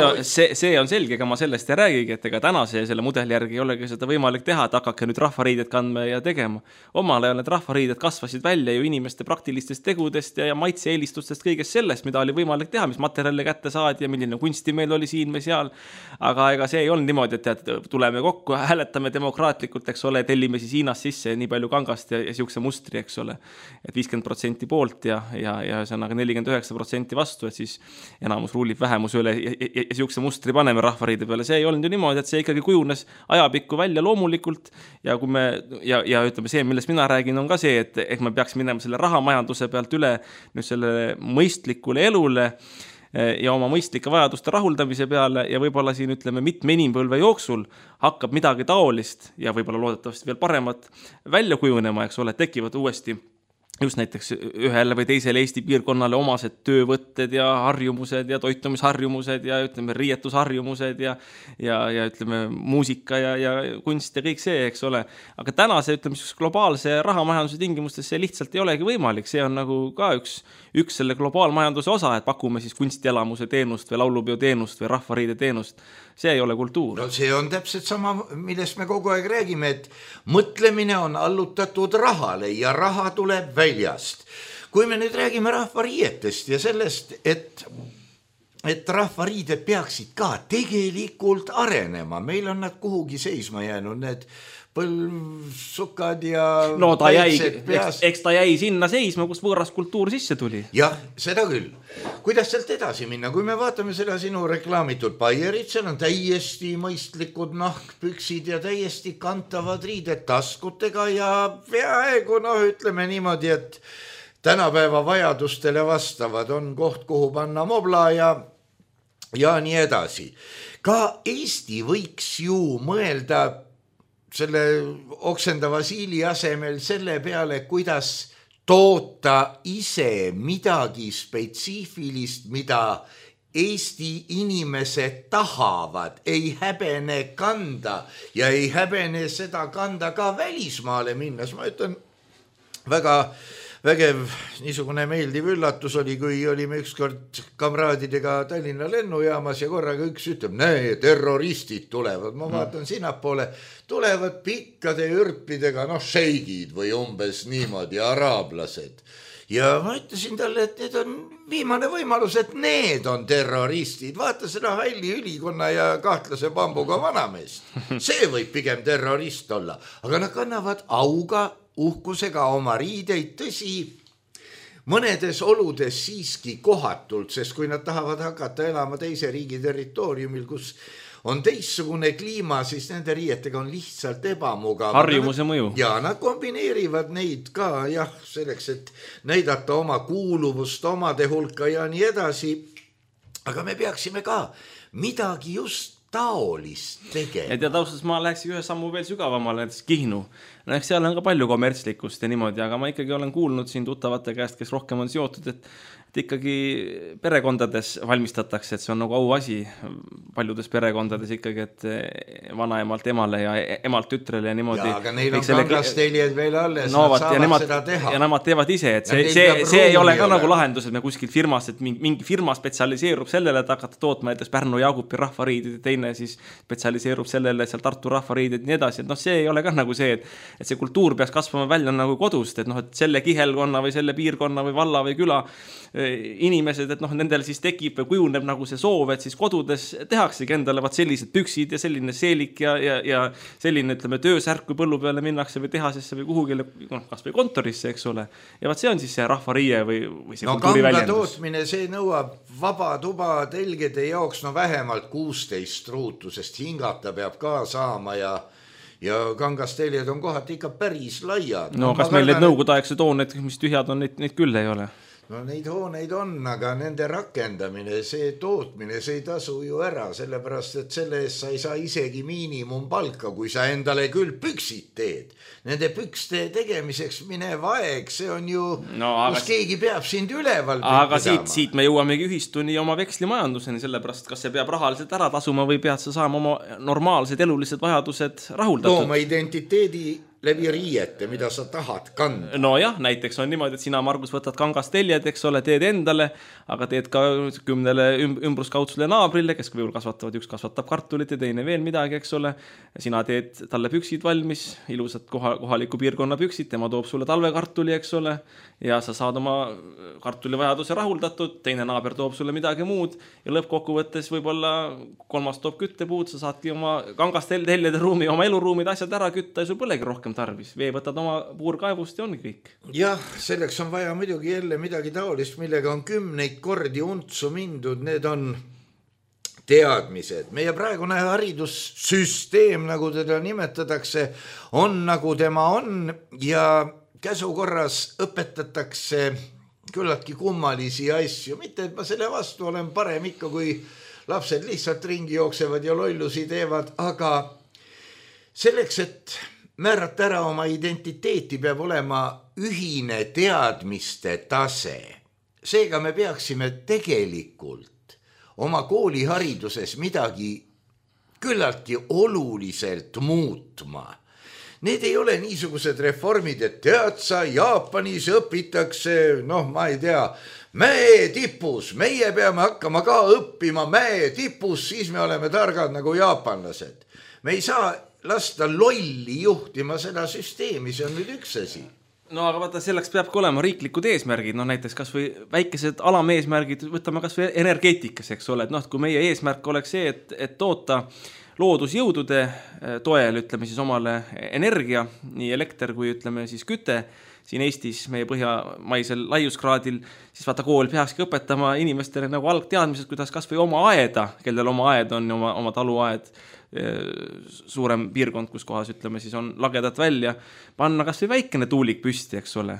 on selge, ega ma sellest ei räägigi, et ega tänase selle mudeli järgi ei olegi seda võimalik teha, et hakake nüüd rahvariided kandma ja tegema. Omal ajal need rahvariided kasvasid välja ju inimeste praktilistest tegudest ja maitse-eelistustest kõigest sellest, mida oli võimalik teha, mis materjali kätte saadi ja milline kunsti meil oli siin või seal. Aga ega see ei olnud niimoodi, et tuleme kokku, hääletame demokraatlikult, eks ole, tellime siis Hiinast sisse nii palju kangast ja siukse mustri, eks ole. Et 50% poolt ja see on 49% vastu, et siis enamus ruulib vähemus üle ja siukse mustri paneme rahvariide peale. See ei olnud ju niimoodi, et see ikkagi kujunes ajapikku välja loomulikult ja kui me ja ütleme see, millest mina räägin, on ka see, et me peaks minema selle rahamajanduse pealt üle nüüd selle mõistlikule elule ja oma mõistlike vajaduste rahuldamise peale ja võib-olla siin ütleme mitme inimpõlve jooksul hakkab midagi taolist ja võib-olla loodetavasti veel paremat välja kujunema, eks ole, tekivad uuesti just näiteks ühele või teisele Eesti piirkonnale omased töövõtted ja harjumused ja toitumisharjumused ja ütleme riietusharjumused ja ütleme muusika ja kunst ja kõik see, eks ole. Aga tänase ütleme globaalse rahamajanduse tingimustes see lihtsalt ei olegi võimalik. See on nagu ka üks selle globaalmajanduse osa, et pakume siis kunstielamuse teenust või laulupeo teenust või rahvariide teenust. See ei ole kultuur. No see on täpselt sama, millest me kogu aeg räägime, et mõtlemine on allutatud rahale ja raha tuleb väljast. Kui me nüüd räägime rahvariietest ja sellest, et rahvariided peaksid ka tegelikult arenema, meil on nad kuhugi seisma jäänud, need põlvsukad ja no eks ta jäi sinna seisma, kus võõras kultuur sisse tuli. Jah, seda küll. Kuidas sealt edasi minna? Kui me vaatame seda sinu reklaamitud Bayerit, seal on täiesti mõistlikud nahkpüksid ja täiesti kantavad riided taskutega ja peaaegu, ütleme niimoodi, et tänapäeva vajadustele vastavad on koht, kuhu panna mobla ja nii edasi. Ka Eesti võiks ju mõelda selle oksendava siili asemel selle peale, kuidas toota ise midagi spetsiifilist, mida Eesti inimesed tahavad, ei häbene kanda ja ei häbene seda kanda ka välismaale minnes. Ma ütlen, väga vägev niisugune meeldiv üllatus oli, kui olime ükskord kamraadidega Tallinna lennujaamas ja korraga üks ütleb, näe, terroristid tulevad. Ma vaatan sinnapoole, tulevad pikkade ürpidega, šeigid või umbes niimoodi, araablased. Ja ma ütlesin talle, et need on viimane võimalus, et need on terroristid. Vaata seda hälli ülikonna ja kahtlase pambuga vanameest. See võib pigem terrorist olla, aga nad kannavad auga uhkusega oma riideid, tõsi, mõnedes oludes siiski kohatult, sest kui nad tahavad hakata elama teise riigi territooriumil, kus on teistsugune kliima, siis nende riietega on lihtsalt ebamugav. Harjumuse mõju. Ja nad kombineerivad neid ka, jah, selleks, et näidata oma kuuluvust omade hulka ja nii edasi. Aga me peaksime ka midagi just taolist tegema. Ja taustas ma läheks ühe sammu veel sügavamale, näiteks Kihnu. Eks seal on ka palju kommertslikkust ja niimoodi, aga ma ikkagi olen kuulnud siin tuttavate käest, kes rohkem on seotud, et ikkagi perekondades valmistatakse, et see on nagu auasi paljudes perekondades ikkagi, et vanaemalt emale ja emalt tütrele ja niimoodi. Ja, aga neil on kangasteljed veel alles, no, nad saavad seda teha. Ja nemad teevad ise, et see ei ole ka nagu lahendus, et me kuskil firmas, et mingi firma spetsialiseerub sellele, et hakata tootma näiteks Pärnu Jaagupi rahvariidid ja teine siis spetsialiseerub sellele, et seal Tartu rahvariidid ja nii edasi, et see ei ole ka nagu see, et see kultuur peaks kasvama välja nagu kodust, et et selle kihelkonna või selle piirkonna või valla või küla inimesed, et nendel siis tekib või kujuneb nagu see soov, et siis kodudes tehaksegi endale sellised püksid ja selline seelik ja selline, ütleme, töösärk, kui põllu peale minnakse või tehasesse või kuhugile, kas või kontorisse, eks ole. Ja see on siis see rahvariie või see kultuuri väljendus. Kanga tootmine, see nõuab vaba tuba telgede jaoks vähemalt 16 ruutu, sest hingata peab ka saama ja kangasteljed on kohati ikka päris laiad. No kas meil need nõukogudeaegsed hooned, mis tühjad on, neid küll ei ole? No neid hooneid on, aga nende rakendamine, see tootmine, see ei tasu ju ära, sellepärast, et selle eest sa ei saa isegi miinimumpalka, kui sa endale küll püksid teed. Nende pükste tegemiseks minev aeg, see on ju, kus keegi peab sind üleval pidama. Aga siit me jõuamegi ühistuni oma vekslimajanduseni, sellepärast, kas see peab rahaliselt ära tasuma või pead sa saama oma normaalsed elulised vajadused rahuldatud. Tooma identiteedi läbi riiete, mida sa tahad kanda. No jah, näiteks on niimoodi, et sina, Margus, võtad kangasteljed, eks ole, teed endale, aga teed ka 10 ümbruskaudsule naabrile, kes võib kasvatavad, üks kasvatab kartulit ja teine veel midagi, eks ole. Sina teed talle püksid valmis, ilusad kohaliku piirkonna püksid, tema toob sulle talvekartuli, eks ole, ja sa saad oma kartulivajaduse rahuldatud, teine naaber toob sulle midagi muud ja lõppkokkuvõttes võib-olla kolmas toob küttepuud, sa saadki oma kangasteljede ruumi, oma eluruumid asjad ära kütta ja sul põlegi rohkem tarvis. Vee võtad oma puurkaevust ja ongi kõik. Jah, selleks on vaja muidugi jälle midagi taolist, millega on 10 kordi untsu mindud. Need on teadmised. Meie praegune haridussüsteem, nagu teda nimetatakse, on nagu tema on ja käsukorras õpetatakse küllaltki kummalisi asju. Mitte, et ma selle vastu olen, parem ikka, kui lapsed lihtsalt ringi jooksevad ja lollusi teevad, aga selleks, et määrata ära oma identiteeti, peab olema ühine teadmiste tase. Seega me peaksime tegelikult oma koolihariduses midagi küllaltki oluliselt muutma. Need ei ole niisugused reformid, et tead sa, Jaapanis õpitakse, ma ei tea, mäe tipus, meie peame hakkama ka õppima mäe tipus, siis me oleme targad nagu jaapanlased. Me ei saa lasta lolli juhtima seda süsteemi, see on nüüd üks asi. No aga vaata, selleks peabki olema riiklikud eesmärgid, näiteks kas või väikesed alameesmärgid, võtame kas või energeetikas, eks ole, et kui meie eesmärk oleks see, et toota loodusjõudude toel, ütleme siis omale energia, nii elekter kui ütleme siis küte, siin Eestis meie põhjamaisel laiuskraadil, siis vaata kool peakski õpetama inimestele nagu algteadmised, kuidas kas või oma aeda, kellel oma aed on, oma taluaed, suurem piirkond, kus kohas ütleme siis on lagedad välja, panna kas või väikene tuulik püsti, eks ole.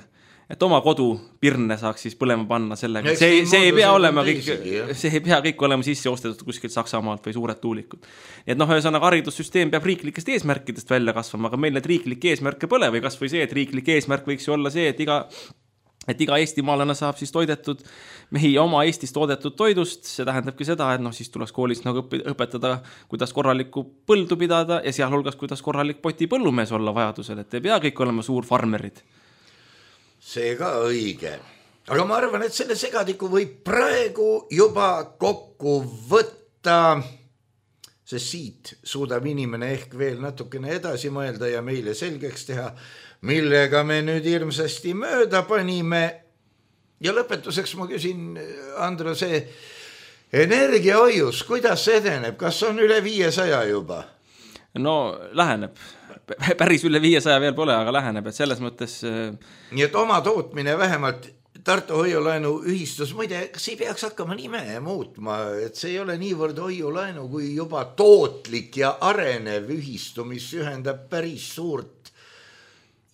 Et oma kodu pirne saaks siis põlema panna sellega. See ei pea olema kõik olema sisse ostetud kuskilt Saksamaalt või suured tuulikud. Nii et ühesõnaga haridussüsteem peab riiklikest eesmärkidest välja kasvama, aga meil need riiklikke eesmärke pole või kas või see, et riiklik eesmärk võiks ju olla see, et iga eestimaalane saab siis toidetud meie oma Eestis toodetud toidust, see tähendabki seda, et siis tuleks koolis nagu õpetada, kuidas korralikku põldu pidada ja sealhulgas, kuidas korralik poti põllumees olla vajadusel, et ei pea kõik olema suur farmerid. See ka õige. Aga ma arvan, et selle segadiku võib praegu juba kokku võtta, sest siit suudab inimene ehk veel natukene edasi mõelda ja meile selgeks teha, millega me nüüd hirmsasti mööda panime. Ja lõpetuseks ma küsin, Andro, see energiahoius, kuidas see edeneb? Kas on üle 500 juba? No läheneb. Päris üle 500 veel pole, aga läheneb, et selles mõttes... Nii et oma tootmine vähemalt Tartu hoiulaenu ühistus, muide, kas ei peaks hakkama nime muutma, et see ei ole niivõrd hoiulaenu kui juba tootlik ja arenev ühistu, mis ühendab päris suurt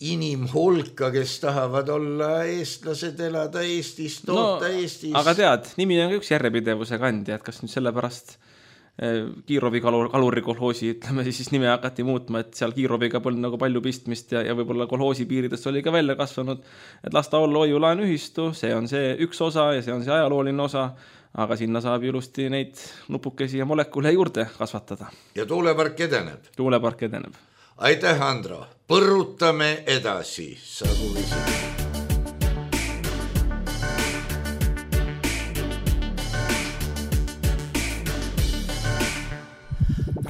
inimhulka, kes tahavad olla eestlased, elada Eestis, toota Eestis. Aga tead, nimi on üks järjepidevuse kandja, et kas nüüd sellepärast Kiirovi kaluri kolhoosi, ütleme siis nime hakati muutma, et seal Kiiroviga polnud nagu palju pistmist ja võib-olla kolhoosi piiridest oli ka välja kasvanud, et lasta olla hoiulaen ühistu, see on see üks osa ja see on see ajalooline osa, aga sinna saab ilusti neid nupukesi ja molekule juurde kasvatada. Ja tuulepark edeneb. Tuulepark edeneb. Aitäh, Andro. Põrutame edasi, sagu viisi.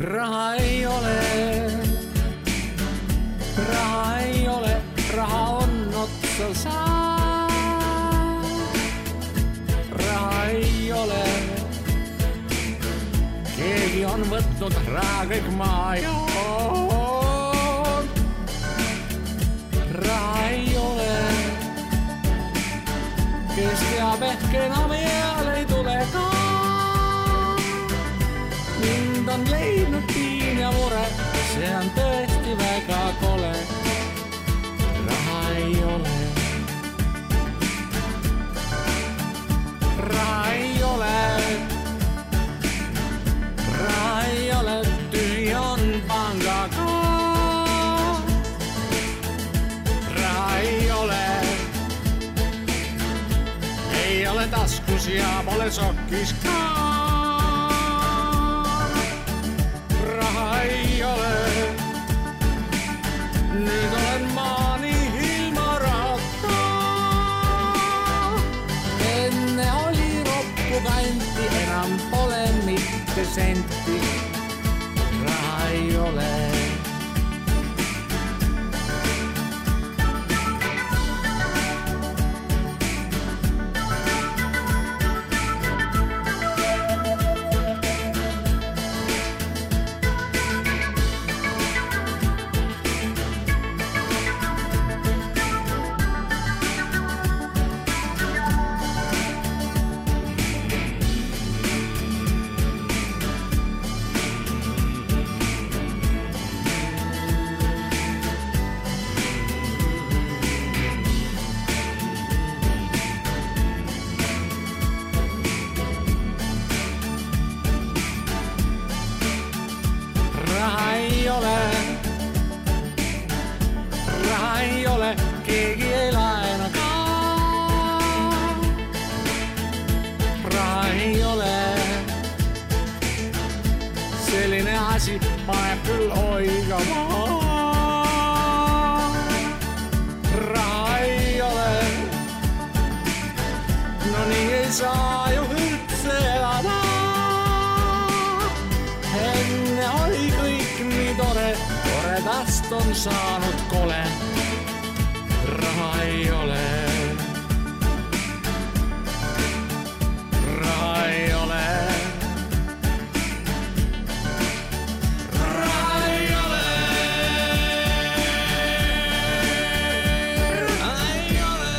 Raha ei ole, raha on otsa saa. Raha ei ole, keegi on võtnud raha kõik maa joon. Raha ei ole, kes teab ehk enam eal ei tule ka. Mind on leidnud piin ja mure, see on tõesti väga kole. Raha ei ole. Raha ei ole. Raha ei ole, tühi on panga ka. Raha ei ole. Ei ole taskus ja pole sokkis ka. Ei ole. Nüüd olen maani ilma rahata. Enne oli roppu kanti, enam pole mitte senti. Raha ei ole. Keegi ei laena ka. Raha ei ole. Selline asi paneb küll oigama. Raha ei ole. No nii ei saa ju üldse elada. Enne oli kõik nii tore, toredast on saanud kole. Raha ei ole. Raha ei ole. Raha ei ole. Raha ei ole.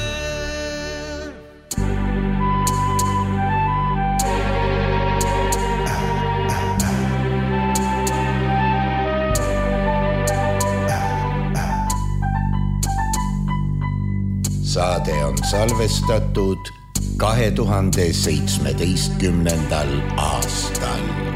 Saade on salvestatud 2017. aastal.